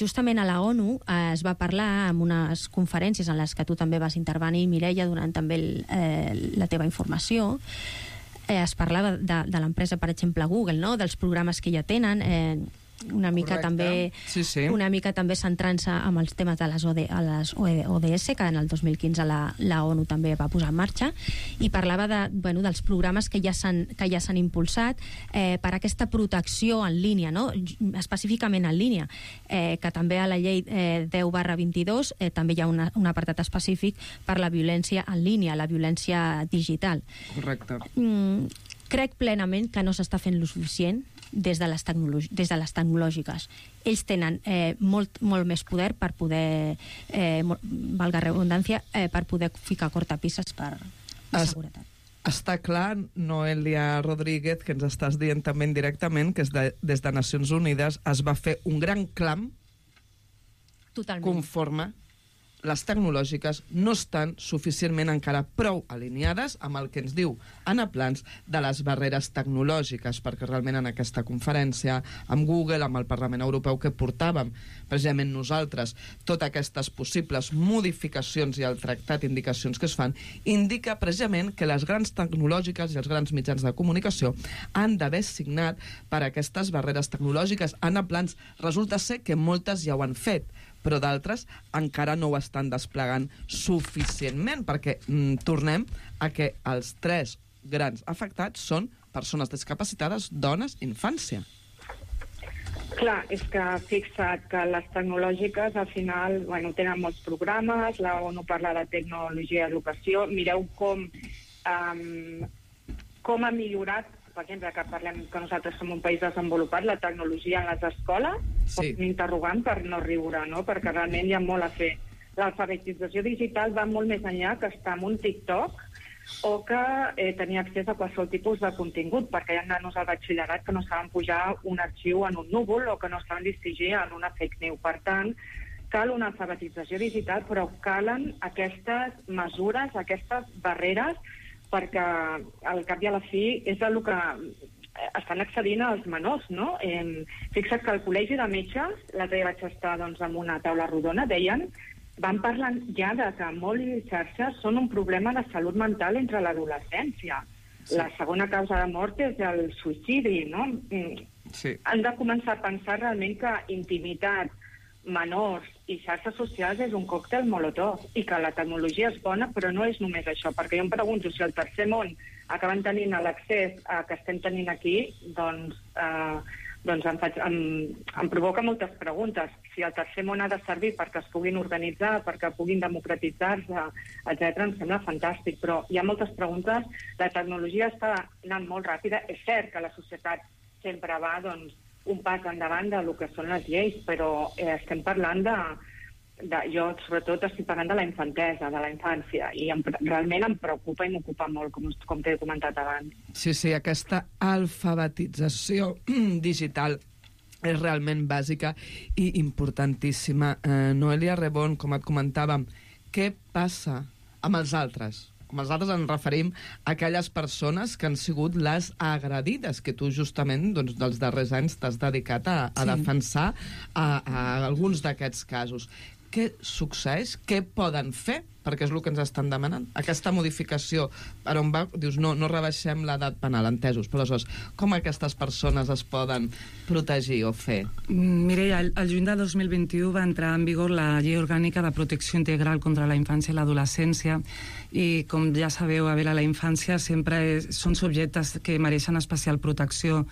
Justament a la ONU es va parlar en unes conferències en les que tu també vas intervenir, Mireia, donant també la teva informació. Es parlava de l'empresa, per exemple, Google, no? Dels programes que ja tenen, una mica també centrant-se amb els temes de les ODS, que en el 2015 la ONU també va posar en marxa, i parlava dels programes que ja s'han impulsat per aquesta protecció en línia, no? Específicament en línia, que també a la llei 10/22 també hi ha un apartat específic per la violència en línia, la violència digital. Correcte. Crec plenament que no s'està fent lo suficient des de les tecnològiques. Ells tenen molt més poder per poder, valga redundància, per poder ficar cortapisses per seguretat. Està clar, Noelia Rodríguez, que ens estàs dient també indirectament, que des de Nacions Unides es va fer un gran clam conforme les tecnològiques no estan suficientment encara prou alineades amb el que ens diu Anna Plans de les barreres tecnològiques, perquè realment en aquesta conferència amb Google, amb el Parlament Europeu que portàvem precisament nosaltres, totes aquestes possibles modificacions i el tractat indicacions que es fan, indica precisament que les grans tecnològiques i els grans mitjans de comunicació han d'haver signat per aquestes barreres tecnològiques. Anna Plans, resulta ser que moltes ja ho han fet, però d'altres encara no ho estan desplegant suficientment, perquè tornem a que els 3 grans afectats són persones discapacitades, dones, infància. Clar, és que fixa't que les tecnològiques al final tenen molts programes, la ONU parla de tecnologia i educació, mireu com ha millorat, per exemple, que parlem que nosaltres som un país desenvolupat, la tecnologia en les escoles, sí. Un interrogant per no riure, no? Perquè realment hi ha molt a fer. L'alfabetització digital va molt més enllà que estar en un TikTok o que tenir accés a qualsevol tipus de contingut, perquè hi ha nanos al batxillerat que no saben pujar un arxiu en un núvol o que no saben distingir en una fake news. Per tant, cal una alfabetització digital, però calen aquestes mesures, aquestes barreres, perquè al cap i a la fi és el que estan accedint als menors, no? Fixa't que al col·legi de metges, l'altre dia vaig estar en una taula rodona, van parlant ja de que mòbil i xarxes són un problema de salut mental entre l'adolescència. Sí. La segona causa de mort és el suïcidi, no? Sí. Han de començar a pensar realment que intimitat, menors i xarxes socials és un còctel molotov i que la tecnologia és bona, però no és només això, perquè jo em pregunto si al tercer món acaben tenint l'accés que estem tenint aquí, doncs em provoca moltes preguntes. Si el tercer món ha de servir perquè es puguin organitzar, perquè puguin democratitzar-se, etc., em sembla fantàstic, però hi ha moltes preguntes. La tecnologia està anant molt ràpida. És cert que la societat sempre va, un pas endavant del que són les lleis, però estem parlant jo sobretot estic parlant de la infantesa, de la infància, i realment em preocupa i m'ocupa molt, com t'he comentat abans. Sí, aquesta alfabetització digital és realment bàsica i importantíssima. Noelia Rebón, com et comentàvem, què passa amb els altres? Com els altres ens referim a aquelles persones que han sigut les agredides, que tu justament dels darrers anys t'has dedicat a defensar a alguns d'aquests casos. Què succeeix? Què poden fer? Perquè és el que ens estan demanant. Aquesta modificació, per on va? Dius, no rebaixem l'edat penal, entesos, però aleshores, com aquestes persones es poden protegir o fer? Mireia, el juny de 2021 va entrar en vigor la Llei Orgànica de Protecció Integral contra la Infància i l'Adolescència, i com ja sabeu, la infància sempre són subjectes que mereixen especial protecció.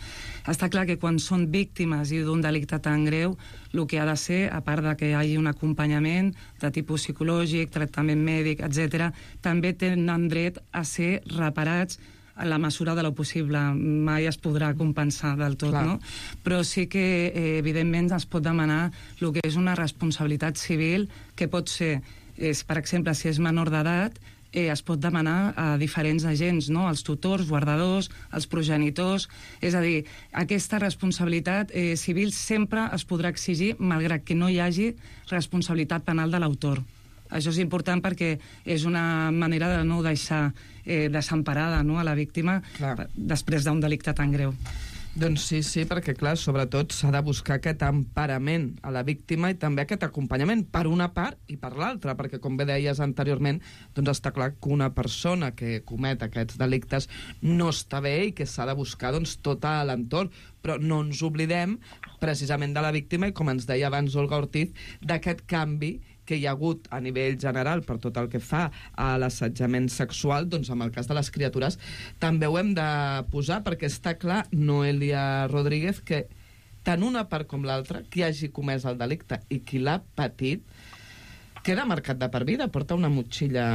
Està clar que quan són víctimes i d'un delicte tan greu, el que ha de ser, a part de que hi hagi un acompanyament de tipus psicològic, tractament mèdic, etc., també tenen dret a ser reparats en la mesura de lo possible. Mai es podrà compensar del tot, no? Però sí que, evidentment, es pot demanar el que és una responsabilitat civil, que pot ser, per exemple, si és menor d'edat, es pot demanar a diferents agents, no? Els tutors, guardadors, els progenitors. És a dir, aquesta responsabilitat civil sempre es podrà exigir, malgrat que no hi hagi responsabilitat penal de l'autor. Això és important perquè és una manera de no deixar desemparada, no?, a la víctima després d'un delicte tan greu. Doncs sí, perquè, clar, sobretot s'ha de buscar aquest emparament a la víctima i també aquest acompanyament per una part i per l'altra, perquè, com bé deies anteriorment, doncs està clar que una persona que comet aquests delictes no està bé i que s'ha de buscar tot a l'entorn, però no ens oblidem precisament de la víctima i, com ens deia abans Olga Ortiz, d'aquest canvi que hi ha hagut a nivell general per tot el que fa a l'assetjament sexual, doncs en el cas de les criatures també ho hem de posar, perquè està clar, Noelia Rodríguez, que tant una part com l'altra, qui hagi comès el delicte i qui l'ha patit, queda marcat de per vida, porta una motxilla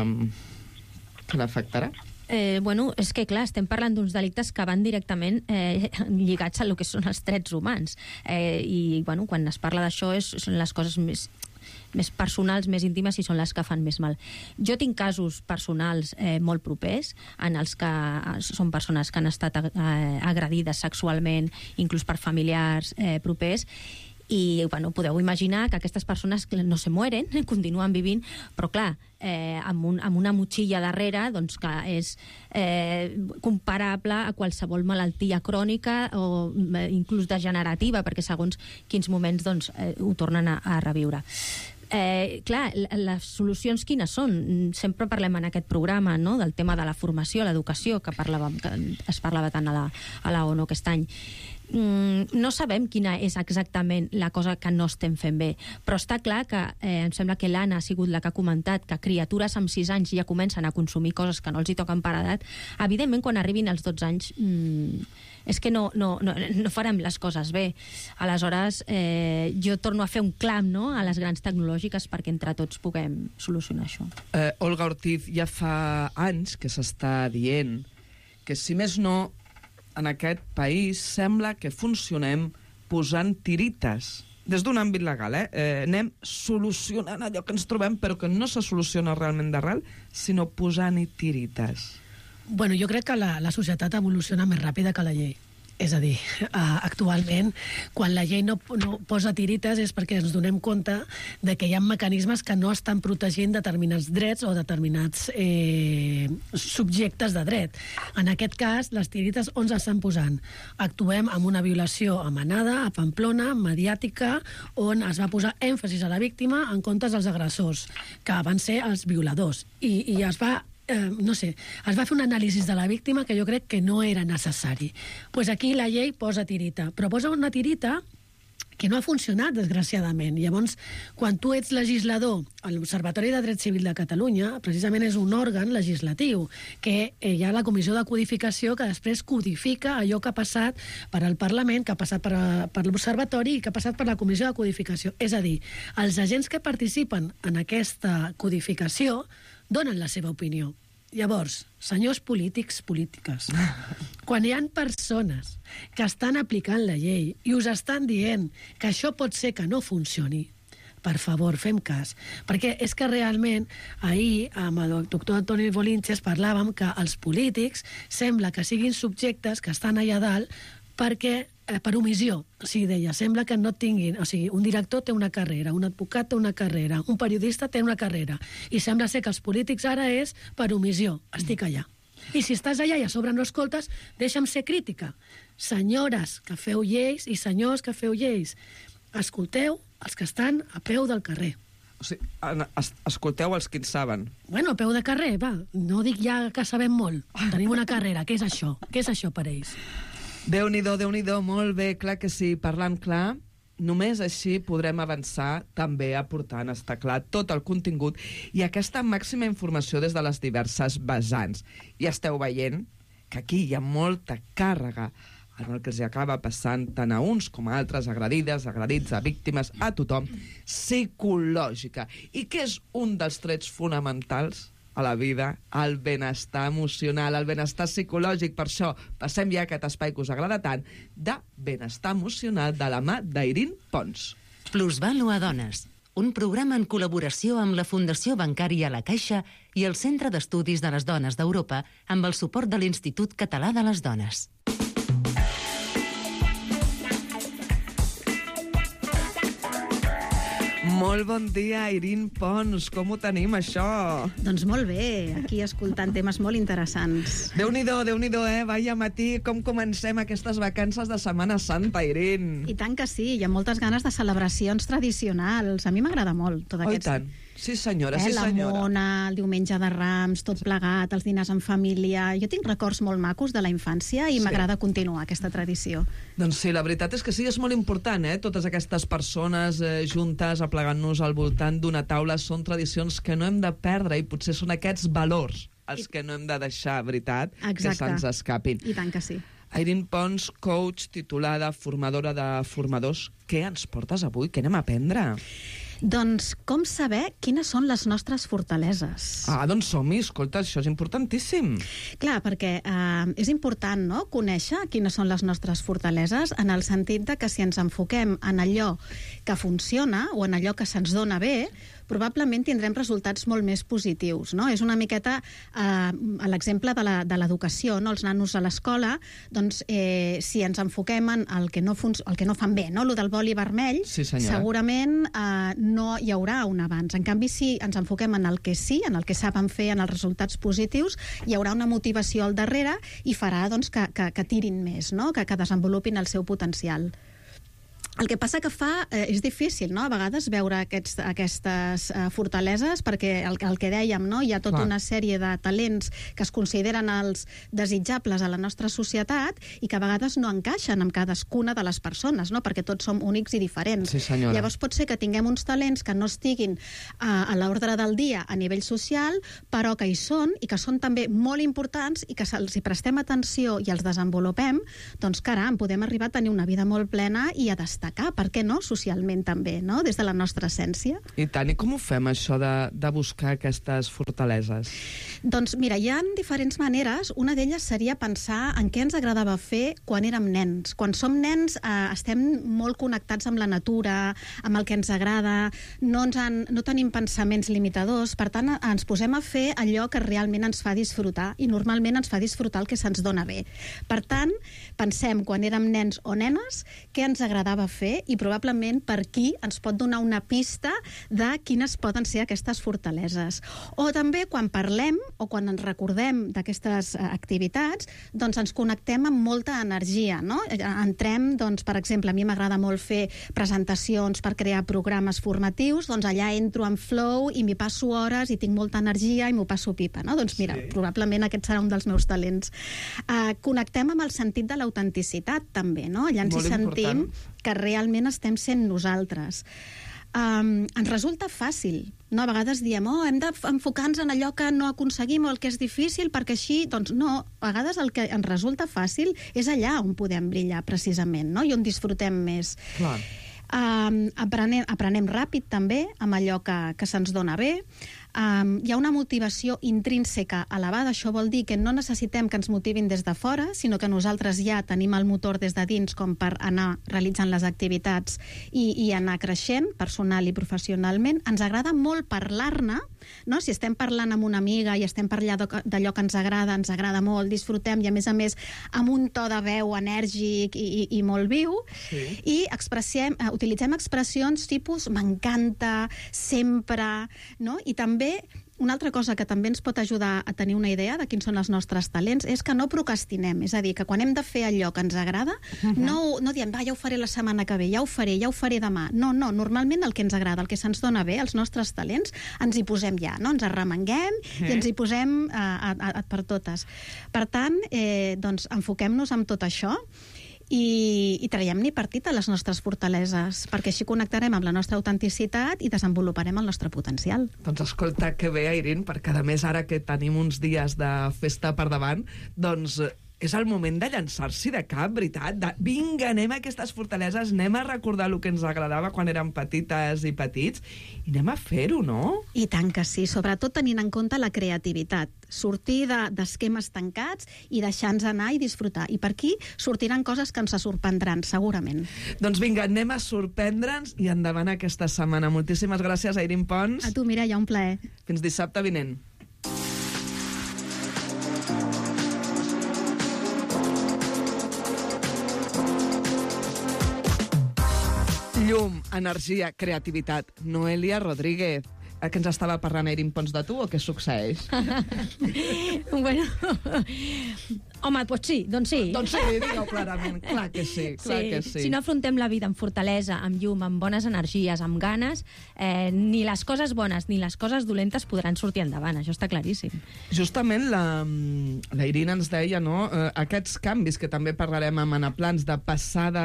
que l'afectarà. És que, clar, estem parlant d'uns delictes que van directament lligats a lo que són els drets humans. I, quan es parla d'això són les coses més personals, més íntimes, i són les que fan més mal. Jo tinc casos personals molt propers, en els que són persones que han estat agredides sexualment, inclús per familiars propers, I bueno, podeu imaginar que aquestes persones no se mueren, continuen vivint, però clar, amb una motxilla darrere doncs, que és comparable a qualsevol malaltia crònica o inclús degenerativa, perquè segons quins moments doncs, ho tornen a reviure. Clar, les solucions quines són? Sempre parlem en aquest programa, no?, del tema de la formació, l'educació, que es parlava tant a la ONU aquest any. No sabem quina és exactament la cosa que no estem fent bé, però està clar que em sembla que l'Anna ha sigut la que ha comentat que criatures amb 6 anys ja comencen a consumir coses que no els hi toquen per edat. Evidentment, quan arribin als 12 anys és que no farem les coses bé. Aleshores, jo torno a fer un clam, no?, a les grans tecnològiques perquè entre tots puguem solucionar això. Olga Ortiz, ja fa anys que s'està dient que, si més no, en aquest país sembla que funcionem posant tirites. Des d'un àmbit legal, anem solucionant allò que ens trobem, però que no se soluciona realment d'arrel, sinó posant-hi tirites. Bueno, jo crec que la societat evoluciona més ràpida que la llei. És a dir, actualment, quan la llei no posa tirites és perquè ens donem compte de que hi ha mecanismes que no estan protegint determinats drets o determinats subjectes de dret. En aquest cas, les tirites on s'estan posant? Actuem amb una violació amenada a Pamplona, mediàtica, on es va posar èmfasis a la víctima en comptes dels agressors, que van ser els violadors. I es va es va fer un anàlisi de la víctima que jo crec que no era necessari. Doncs aquí la llei posa tirita, però posa una tirita que no ha funcionat, desgraciadament. Llavors, quan tu ets legislador, l'Observatori de Dret Civil de Catalunya precisament és un òrgan legislatiu, que hi ha la Comissió de Codificació que després codifica allò que ha passat per al Parlament, que ha passat per l'Observatori i que ha passat per la Comissió de Codificació. És a dir, els agents que participen en aquesta codificació donen la seva opinió. Llavors, senyors polítics, polítiques, quan hi ha persones que estan aplicant la llei i us estan dient que això pot ser que no funcioni, per favor, fem cas. Perquè és que realment ahir amb el doctor Antoni Bolinches parlàvem que els polítics sembla que siguin subjectes que estan allà dalt per omissió. O sigui, deia, sembla que no tinguin... O sigui, un director té una carrera, un advocat té una carrera, un periodista té una carrera, i sembla ser que els polítics ara és per omissió. Estic allà. I si estàs allà i a sobre no escoltes, deixa'm ser crítica. Senyores que feu lleis i senyors que feu lleis, escolteu els que estan a peu del carrer. O sigui, escolteu els que en saben. Bueno, a peu de carrer, va. No dic ja que sabem molt. Tenim una carrera. Què és això? Què és això per ells? Déu-n'hi-do, molt bé, clar que sí, parlant clar, només així podrem avançar també aportant, està clar, tot el contingut i aquesta màxima informació des de les diverses vessants. I esteu veient que aquí hi ha molta càrrega en el que els acaba passant tant a uns com a altres, agredides, agredits, a víctimes, a tothom, psicològica. I què és un dels trets fonamentals a la vida? El benestar emocional, el benestar psicològic. Per això passem ja a aquest espai que us agrada tant de benestar emocional de la mà d'Irín Pons. Plusvàlua Dones, un programa en col·laboració amb la Fundació Bancària La Caixa i el Centre d'Estudis de les Dones d'Europa amb el suport de l'Institut Català de les Dones. Molt bon dia, Irín Pons. Com ho tenim, això? Doncs molt bé, aquí escoltant temes molt interessants. Déu-n'hi-do, Vaya matí, com comencem aquestes vacances de Setmana Santa, Irín? I tant que sí, hi ha moltes ganes de celebracions tradicionals. A mi m'agrada molt tot aquest... Oh, i tant. Sí, senyora, sí, senyora. La mona, el diumenge de Rams, tot plegat, els dinars en família... Jo tinc records molt macos de la infància i m'agrada continuar aquesta tradició. Doncs sí, la veritat és que sí, és molt important, Totes aquestes persones juntes, aplegant-nos al voltant d'una taula, són tradicions que no hem de perdre i potser són aquests valors els que no hem de deixar, veritat, que se'ns escapin. I tant que sí. Irín Pons, coach, titulada, formadora de formadors. Què ens portes avui? Què anem a aprendre? Doncs com saber quines són les nostres fortaleses. Doncs som-hi, escolta, això és importantíssim. Clar, perquè és important, no?, conèixer quines són les nostres fortaleses, en el sentit de que si ens enfoquem en allò que funciona o en allò que se'ns dona bé, probablement tindrem resultats molt més positius, no? És una miqueta l'exemple de l'educació, no? Els nanos a l'escola, doncs, si ens enfoquem en el que no fan bé, no? Lo del boli vermell, segurament no hi haurà un avanç. En canvi, si ens enfoquem en el que sí, en el que saben fer, en els resultats positius, hi haurà una motivació al darrere i farà doncs, que tirin més, no? Que desenvolupin el seu potencial. El que passa que és difícil, no?, a vegades veure aquestes fortaleses, perquè el que dèiem, no?, hi ha tota una sèrie de talents que es consideren els desitjables a la nostra societat i que a vegades no encaixen amb cadascuna de les persones, no?, perquè tots som únics i diferents. Sí, senyora. Llavors pot ser que tinguem uns talents que no estiguin a l'ordre del dia a nivell social, però que hi són i que són també molt importants i que si prestem atenció i els desenvolupem, doncs caram, podem arribar a tenir una vida molt plena i a destacar, per què no, socialment també, no?, des de la nostra essència. I tant, i com ho fem, això de buscar aquestes fortaleses? Doncs mira, hi ha diferents maneres. Una d'elles seria pensar en què ens agradava fer quan érem nens. Quan som nens estem molt connectats amb la natura, amb el que ens agrada, no tenim pensaments limitadors, per tant ens posem a fer allò que realment ens fa disfrutar, i normalment ens fa disfrutar el que se'ns dona bé. Per tant, pensem quan érem nens o nenes què ens agradava fer i probablement per qui ens pot donar una pista de quines poden ser aquestes fortaleses. O també quan parlem o quan ens recordem d'aquestes activitats, doncs ens connectem amb molta energia, no? Entrem, doncs, per exemple, a mi m'agrada molt fer presentacions per crear programes formatius, doncs allà entro en flow i m'hi passo hores i tinc molta energia i m'ho passo pipa, no? Doncs mira, probablement aquest serà un dels meus talents. Connectem amb el sentit de l'autenticitat també, no? Allà ens hi sentim que realment estem sent nosaltres. Ens resulta fàcil, no? A vegades diem, hem d'enfocar-nos en allò que no aconseguim o el que és difícil perquè així, doncs no, a vegades el que ens resulta fàcil és allà on podem brillar precisament, no? I on disfrutem més. Clar. Aprenem ràpid també amb allò que se'ns dona bé. Hi ha una motivació intrínseca elevada, això vol dir que no necessitem que ens motivin des de fora, sinó que nosaltres ja tenim el motor des de dins com per anar realitzant les activitats i anar creixent personal i professionalment. Ens agrada molt parlar-ne, no? Si estem parlant amb una amiga i estem parlant d'allò que ens agrada molt, disfrutem i a més amb un to de veu enèrgic i molt viu, i utilitzem expressions tipus m'encanta, sempre, no? I també una altra cosa que també ens pot ajudar a tenir una idea de quins són els nostres talents és que no procrastinem, és a dir, que quan hem de fer allò que ens agrada, no diem, ja ho faré la setmana que ve, ja ho faré demà. No, normalment el que ens agrada, el que se'ns dona bé, els nostres talents, ens hi posem ja, no? Ens arremanguem i ens hi posem per totes. Per tant, doncs, enfoquem-nos en tot això i traiem-ne partit a les nostres fortaleses, perquè així connectarem amb la nostra autenticitat i desenvoluparem el nostre potencial. Doncs escolta, que bé, Airín, perquè a més ara que tenim uns dies de festa per davant, doncs és el moment de llançar-s'hi de cap, veritat? Vinga, anem a aquestes fortaleses, anem a recordar el que ens agradava quan érem petites i petits, i anem a fer-ho, no? I tant que sí, sobretot tenint en compte la creativitat. Sortir d'esquemes tancats i deixar-nos anar i disfrutar. I per aquí sortiran coses que ens sorprendran, segurament. Doncs vinga, anem a sorprendre'ns i endavant aquesta setmana. Moltíssimes gràcies, Airín Pons. A tu, Mireia, un plaer. Fins dissabte vinent. Llum, energia, creativitat. Noelia Rodríguez. Que ens estava parlant Airín Pons de tu o què succeeix? Bueno, home, doncs sí. Doncs sí, digue-ho clarament. Clar que sí. Si no afrontem la vida amb fortalesa, amb llum, amb bones energies, amb ganes, ni les coses bones ni les coses dolentes podran sortir endavant, això està claríssim. Justament l'Airín ens deia, no?, aquests canvis que també parlarem amb Anaplans, de passar de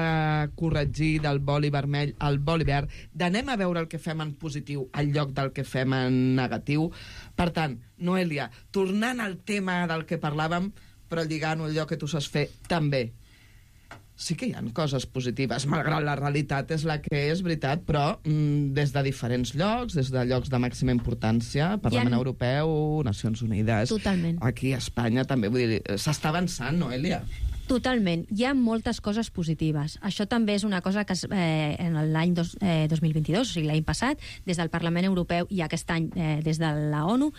corregir del boli vermell al boli verd, d'anem a veure el que fem en positiu al lloc del que fem en negatiu. Per tant, Noelia, tornant al tema del que parlàvem, però lligant allò que tu saps fer també. Sí que hi ha coses positives, malgrat la realitat és la que és, veritat, però des de diferents llocs, des de llocs de màxima importància, Parlament Europeu, Nacions Unides... Totalment. Aquí a Espanya també, vull dir, s'està avançant, Noelia? Totalment. Hi ha moltes coses positives. Això també és una cosa que en l'any 2022, o sigui, l'any passat, des del Parlament Europeu i aquest any des de la ONU,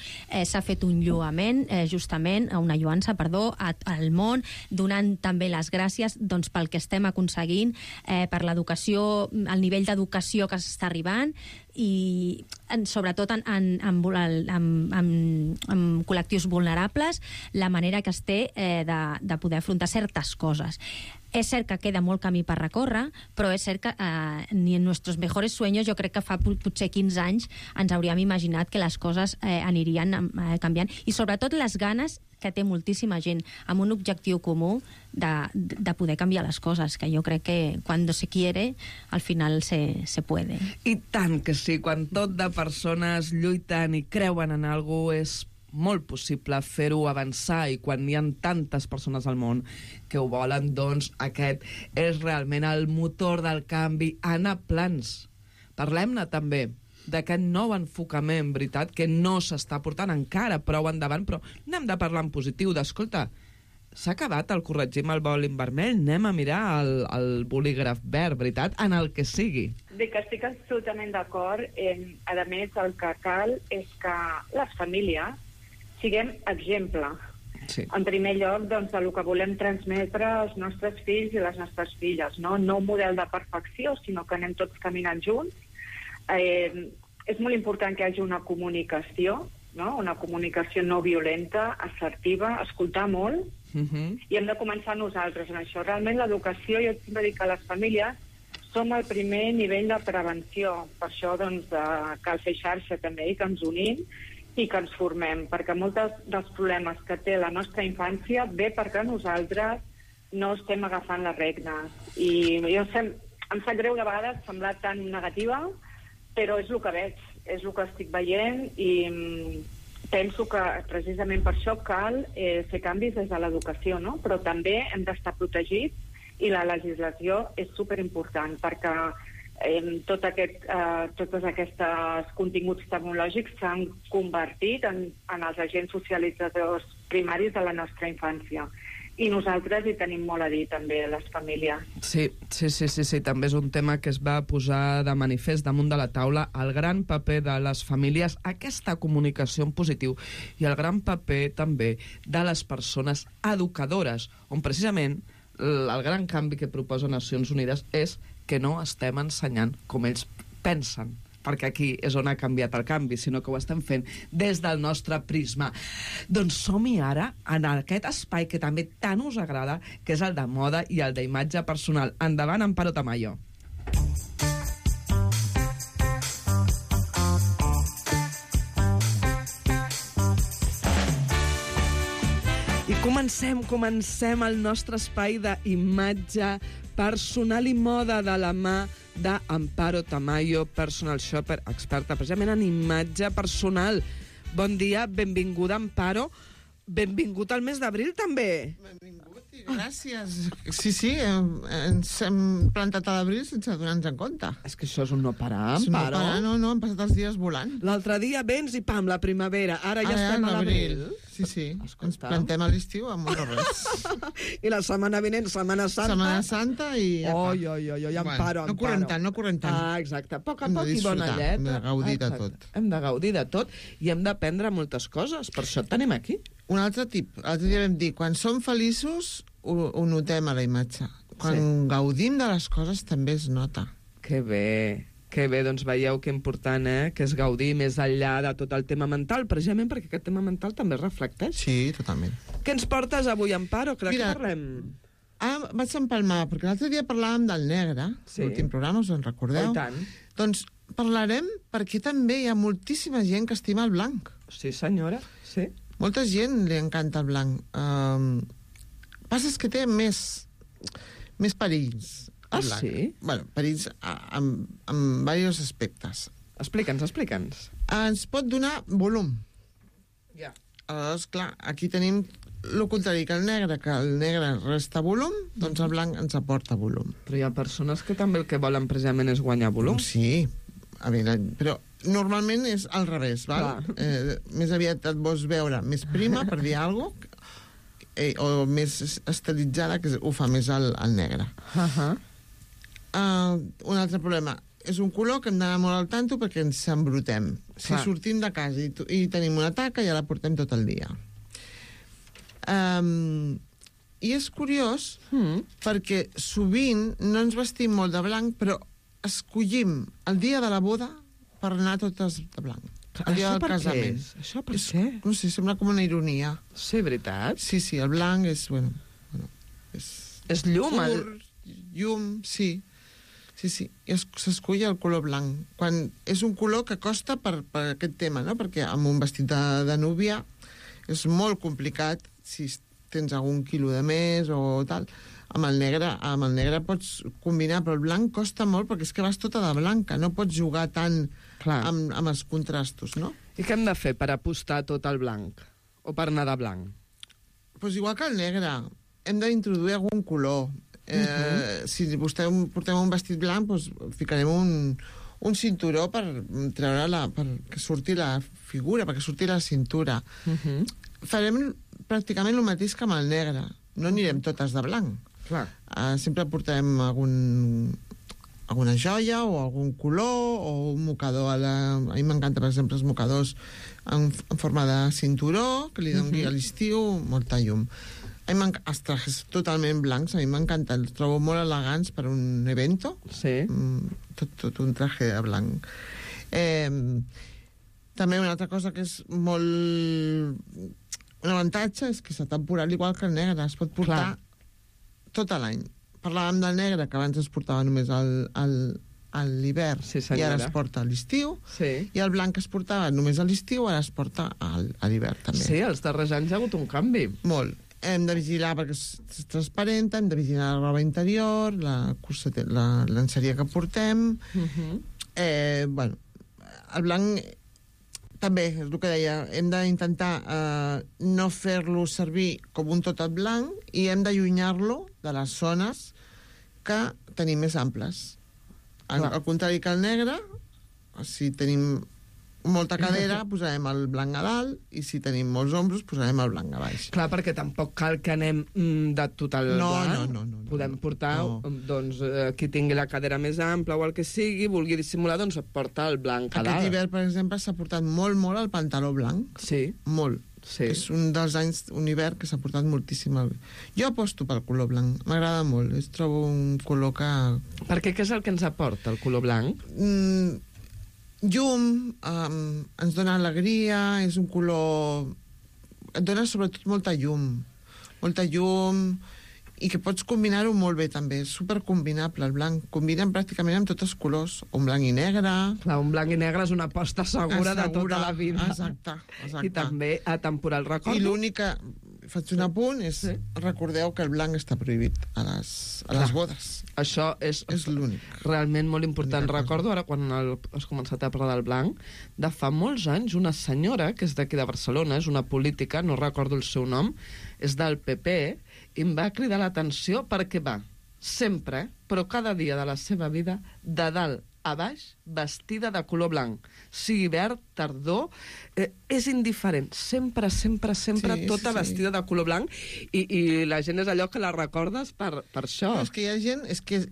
s'ha fet un lloament, justament, una lloança, perdó, al món, donant també les gràcies doncs, pel que estem aconseguint, per l'educació, el nivell d'educació que s'està arribant, i sobretot en col·lectius vulnerables, la manera que es té de poder afrontar certes coses. És cert que queda molt camí per recórrer, però és cert que ni en nostres mejores sueños, jo crec que fa potser 15 anys ens hauríem imaginat que les coses anirien canviant, i sobretot les ganes que té moltíssima gent amb un objectiu comú de poder canviar les coses, que jo crec que quan se quiere, al final se puede. I tant que sí, quan tot de persones lluiten i creuen en alguna cosa és molt possible fer-ho avançar, i quan hi ha tantes persones al món que ho volen, doncs aquest és realment el motor del canvi. Anna Plans, parlem-ne també d'aquest nou enfocament, veritat, que no s'està portant encara prou endavant, però n'hem de parlar en positiu, d'escolta, s'ha acabat el corregim el bòlim vermell, anem a mirar el bolígraf verd, veritat, en el que sigui. Bé, que estic absolutament d'acord. A més, el que cal és que les famílies siguem exemple. Sí. En primer lloc, doncs, el que volem transmetre als nostres fills i les nostres filles, no un model de perfecció, sinó que anem tots caminant junts. És molt important que hi hagi una comunicació, no? Una comunicació no violenta, assertiva, escoltar molt, i hem de començar nosaltres en això. Realment l'educació, jo sempre dic que les famílies som el primer nivell de prevenció, per això doncs, cal fer xarxa també i que ens unim i que ens formem, perquè molts dels problemes que té la nostra infància ve perquè nosaltres no estem agafant les regnes. I jo em sap greu de vegades semblar tan negativa, però és el que veig, és el que estic veient, i penso que precisament per això cal fer canvis des de l'educació, no? Però també hem d'estar protegits, i la legislació és superimportant, perquè tots aquests continguts tecnològics s'han convertit en els agents socialitzadors primaris de la nostra infància. I nosaltres hi tenim molt a dir, també, les famílies. Sí, també és un tema que es va posar de manifest damunt de la taula, el gran paper de les famílies, aquesta comunicació en positiu, i el gran paper també de les persones educadores, on precisament el gran canvi que proposa Nacions Unides és que no estem ensenyant com ells pensen, perquè aquí és on ha canviat el canvi, sinó que ho estem fent des del nostre prisma. Doncs som-hi ara en aquest espai que també tant us agrada, que és el de moda i el d'imatge personal. Endavant, Amparo Tamayo. I comencem el nostre espai d'imatge personal i moda de la mà d'Amparo Tamayo, personal shopper, experta precisament en imatge personal. Bon dia, benvinguda, Amparo. Benvingut al mes d'abril, també. Benvingut i gràcies. Sí, ens hem plantat a l'abril sense donar-nos en compte. És que això és un no parar, és Amparo. No, han passat els dies volant. L'altre dia vens i pam, la primavera. Ara ja estem a l'abril. Sí. Ens plantem a l'estiu amb un res. I la setmana vinent, Setmana Santa. Setmana Santa i... Oi, Amparo. No corrent tant. Ah, exacte. A poc i bona lletra. Hem de gaudir de tot. Hem de gaudir de tot i hem d'aprendre moltes coses. Per això et tenim aquí. Un altre tip. L'altre dia vam dir, quan som feliços, ho notem a la imatge. Quan gaudim de les coses també es nota. Que bé, doncs veieu que important, que és gaudir més enllà de tot el tema mental, precisament perquè aquest tema mental també es reflecteix. Sí, totalment. Què ens portes avui, Amparo? Que de què parlem? Vaig empalmar, perquè l'altre dia parlàvem del negre, l'últim programa, us en recordeu? Oh, i tant. Doncs parlarem perquè també hi ha moltíssima gent que estima el blanc. Sí, senyora, sí. Molta gent li encanta el blanc. Passa que té més perills. Ah, sí? Bueno, perills en diversos aspectes. Explica'ns. Ens pot donar volum. Ja. Aleshores, clar, aquí tenim el contrari que el negre resta volum, doncs el blanc ens aporta volum. Però hi ha persones que també el que volen precisament és guanyar volum. Sí, però normalment és al revés, val? Més aviat et vols veure més prima, per dir alguna cosa, o més estilitzada, que ho fa més el negre. Un altre problema, és un color que hem d'anar molt al tanto perquè ens embrutem. Si sortim de casa i tenim una taca, ja la portem tot el dia. I és curiós perquè sovint no ens vestim molt de blanc, però escollim el dia de la boda per anar totes de blanc. El dia del casament. Això per què? No sé, sembla com una ironia. Sí, veritat? Sí, el blanc és, és llum. Llum, sí. Sí, s'escull el color blanc. Quan és un color que costa per aquest tema, no? Perquè amb un vestit de núvia és molt complicat si tens algun quilo de més o tal. Amb el negre pots combinar, però el blanc costa molt perquè és que vas tota de blanca, no pots jugar tant amb els contrastos, no? I què hem de fer per apostar tot el blanc? O per anar de blanc? Doncs igual que el negre, hem d'introduir algun color. Si vostè portem un vestit blanc, doncs ficarem un cinturó per treure perquè surti la figura, perquè surti la cintura. Farem pràcticament el mateix que amb el negre. No anirem totes de blanc. Sempre portarem alguna joia o algun color o un mocador. A mi m'encanta, per exemple, els mocadors en forma de cinturó, que li doni a l'estiu molta llum. Els trajes totalment blancs, a mi m'encanta, els trobo molt elegants per un evento. Sí. Tot un traje de blanc. També una altra cosa que és molt... Un avantatge és que és temporal igual que el negre, es pot portar tot l'any. Parlàvem del negre, que abans es portava només a l'hivern, i ara es porta a l'estiu, i el blanc que es portava només a l'estiu, ara es porta a l'hivern també. Sí, els darrers anys hi ha hagut un canvi. Molt. Hem de vigilar perquè és transparent, hem de vigilar la roba interior, la lenceria que portem. El blanc també, és el que deia, hem d'intentar no fer-lo servir com un totat blanc i hem d'allunyar-lo de les zones que tenim més amples. Al contrari que el negre, si tenim molta cadera, posarem el blanc a dalt i si tenim molts ombros, posarem el blanc a baix. Clar, perquè tampoc cal que anem de total blanc. No. Podem portar, doncs, qui tingui la cadera més ampla o el que sigui, vulgui dissimular, doncs porta el blanc a dalt. Aquest hivern, per exemple, s'ha portat molt el pantaló blanc. Sí. Molt. Sí. És un dels anys, un hivern que s'ha portat moltíssim. Jo aposto pel color blanc, m'agrada molt. Trobo un color que... Perquè què és el que ens aporta, el color blanc? Llum, ens dona alegria, és un color... Et dona sobretot molta llum, i que pots combinar-ho molt bé també, és supercombinable el blanc, combinen pràcticament amb tots els colors, un blanc i negre... Clar, un blanc i negre és una aposta segura de tota la vida. Exacte. I també atemporal, recordo. I l'únic que faig un apunt és, recordeu que el blanc està prohibit a les bodes. Això és l'únic. Realment molt important. Recordo ara, quan has començat a parlar del blanc, de fa molts anys, una senyora, que és d'aquí de Barcelona, és una política, no recordo el seu nom, és del PP, i em va cridar l'atenció perquè va, sempre, però cada dia de la seva vida, de dalt a baix, vestida de color blanc. Sigui hivern, tardor, és indiferent. Sempre, tota vestida de color blanc, i la gent és allò que la recordes per això. És que hi ha gent, és que és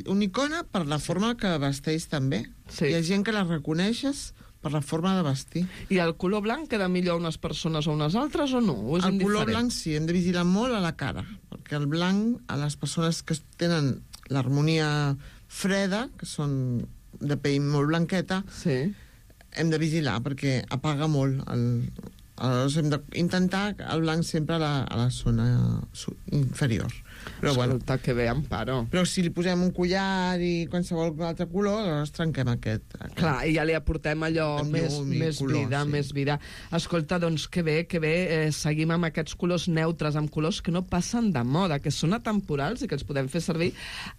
una icona per la forma que vesteix també. Hi ha gent que la reconeixes per la forma de vestir. I el color blanc queda millor a unes persones o a unes altres o no? O és indiferent? El color blanc sí, hem de vigilar molt a la cara, perquè el blanc, a les persones que tenen l'harmonia freda, que són de pell molt blanqueta, hem de vigilar perquè apaga molt. Aleshores hem d'intentar el blanc sempre a la zona inferior. Però escolta, que bé, Amparo. Però si li posem un collar i qualsevol altre color, aleshores trenquem aquest. Clar, i ja li aportem allò més color, vida, més vida. Escolta, doncs que bé, seguim amb aquests colors neutres, amb colors que no passen de moda, que són atemporals i que els podem fer servir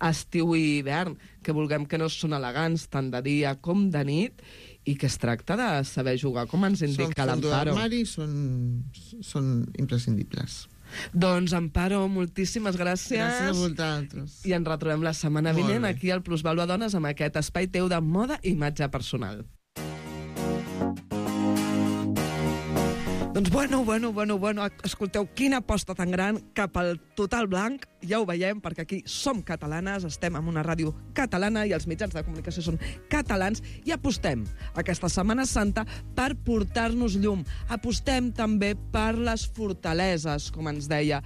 estiu i hivern, que vulguem que no són elegants tant de dia com de nit, i que es tracta de saber jugar, com ens indica l'Amparo. Són d'armari, són imprescindibles. Doncs, Amparo, moltíssimes gràcies. Gràcies a vosaltres. I ens retrobem la setmana vinent aquí al Plusvàlua Dones amb aquest espai teu de moda i imatge personal. Doncs bueno, escolteu, quina aposta tan gran cap al total blanc. Ja ho veiem, perquè aquí som catalanes, estem en una ràdio catalana i els mitjans de comunicació són catalans i apostem aquesta Setmana Santa per portar-nos llum. Apostem també per les fortaleses, com ens deia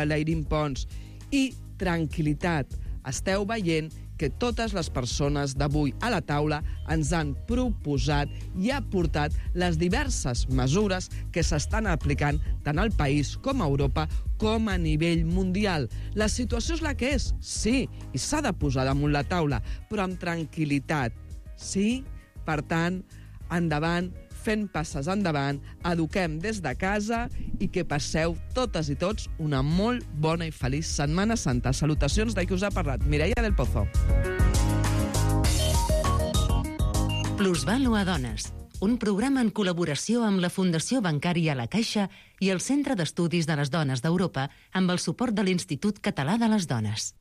l'Eirín Pons. I tranquil·litat. Esteu veient que totes les persones d'avui a la taula ens han proposat i aportat les diverses mesures que s'estan aplicant tant al país com a Europa com a nivell mundial. La situació és la que és, sí, i s'ha de posar damunt la taula, però amb tranquil·litat. Sí, per tant, endavant, fent passes endavant, eduquem des de casa i que passeu totes i tots una molt bona i feliç Setmana Santa. Salutacions de qui us ha parlat, Mireia del Pozo. Plusvàlua Dones, un programa en col·laboració amb la Fundació Bancària La Caixa i el Centre d'Estudis de les Dones d'Europa amb el suport de l'Institut Català de les Dones.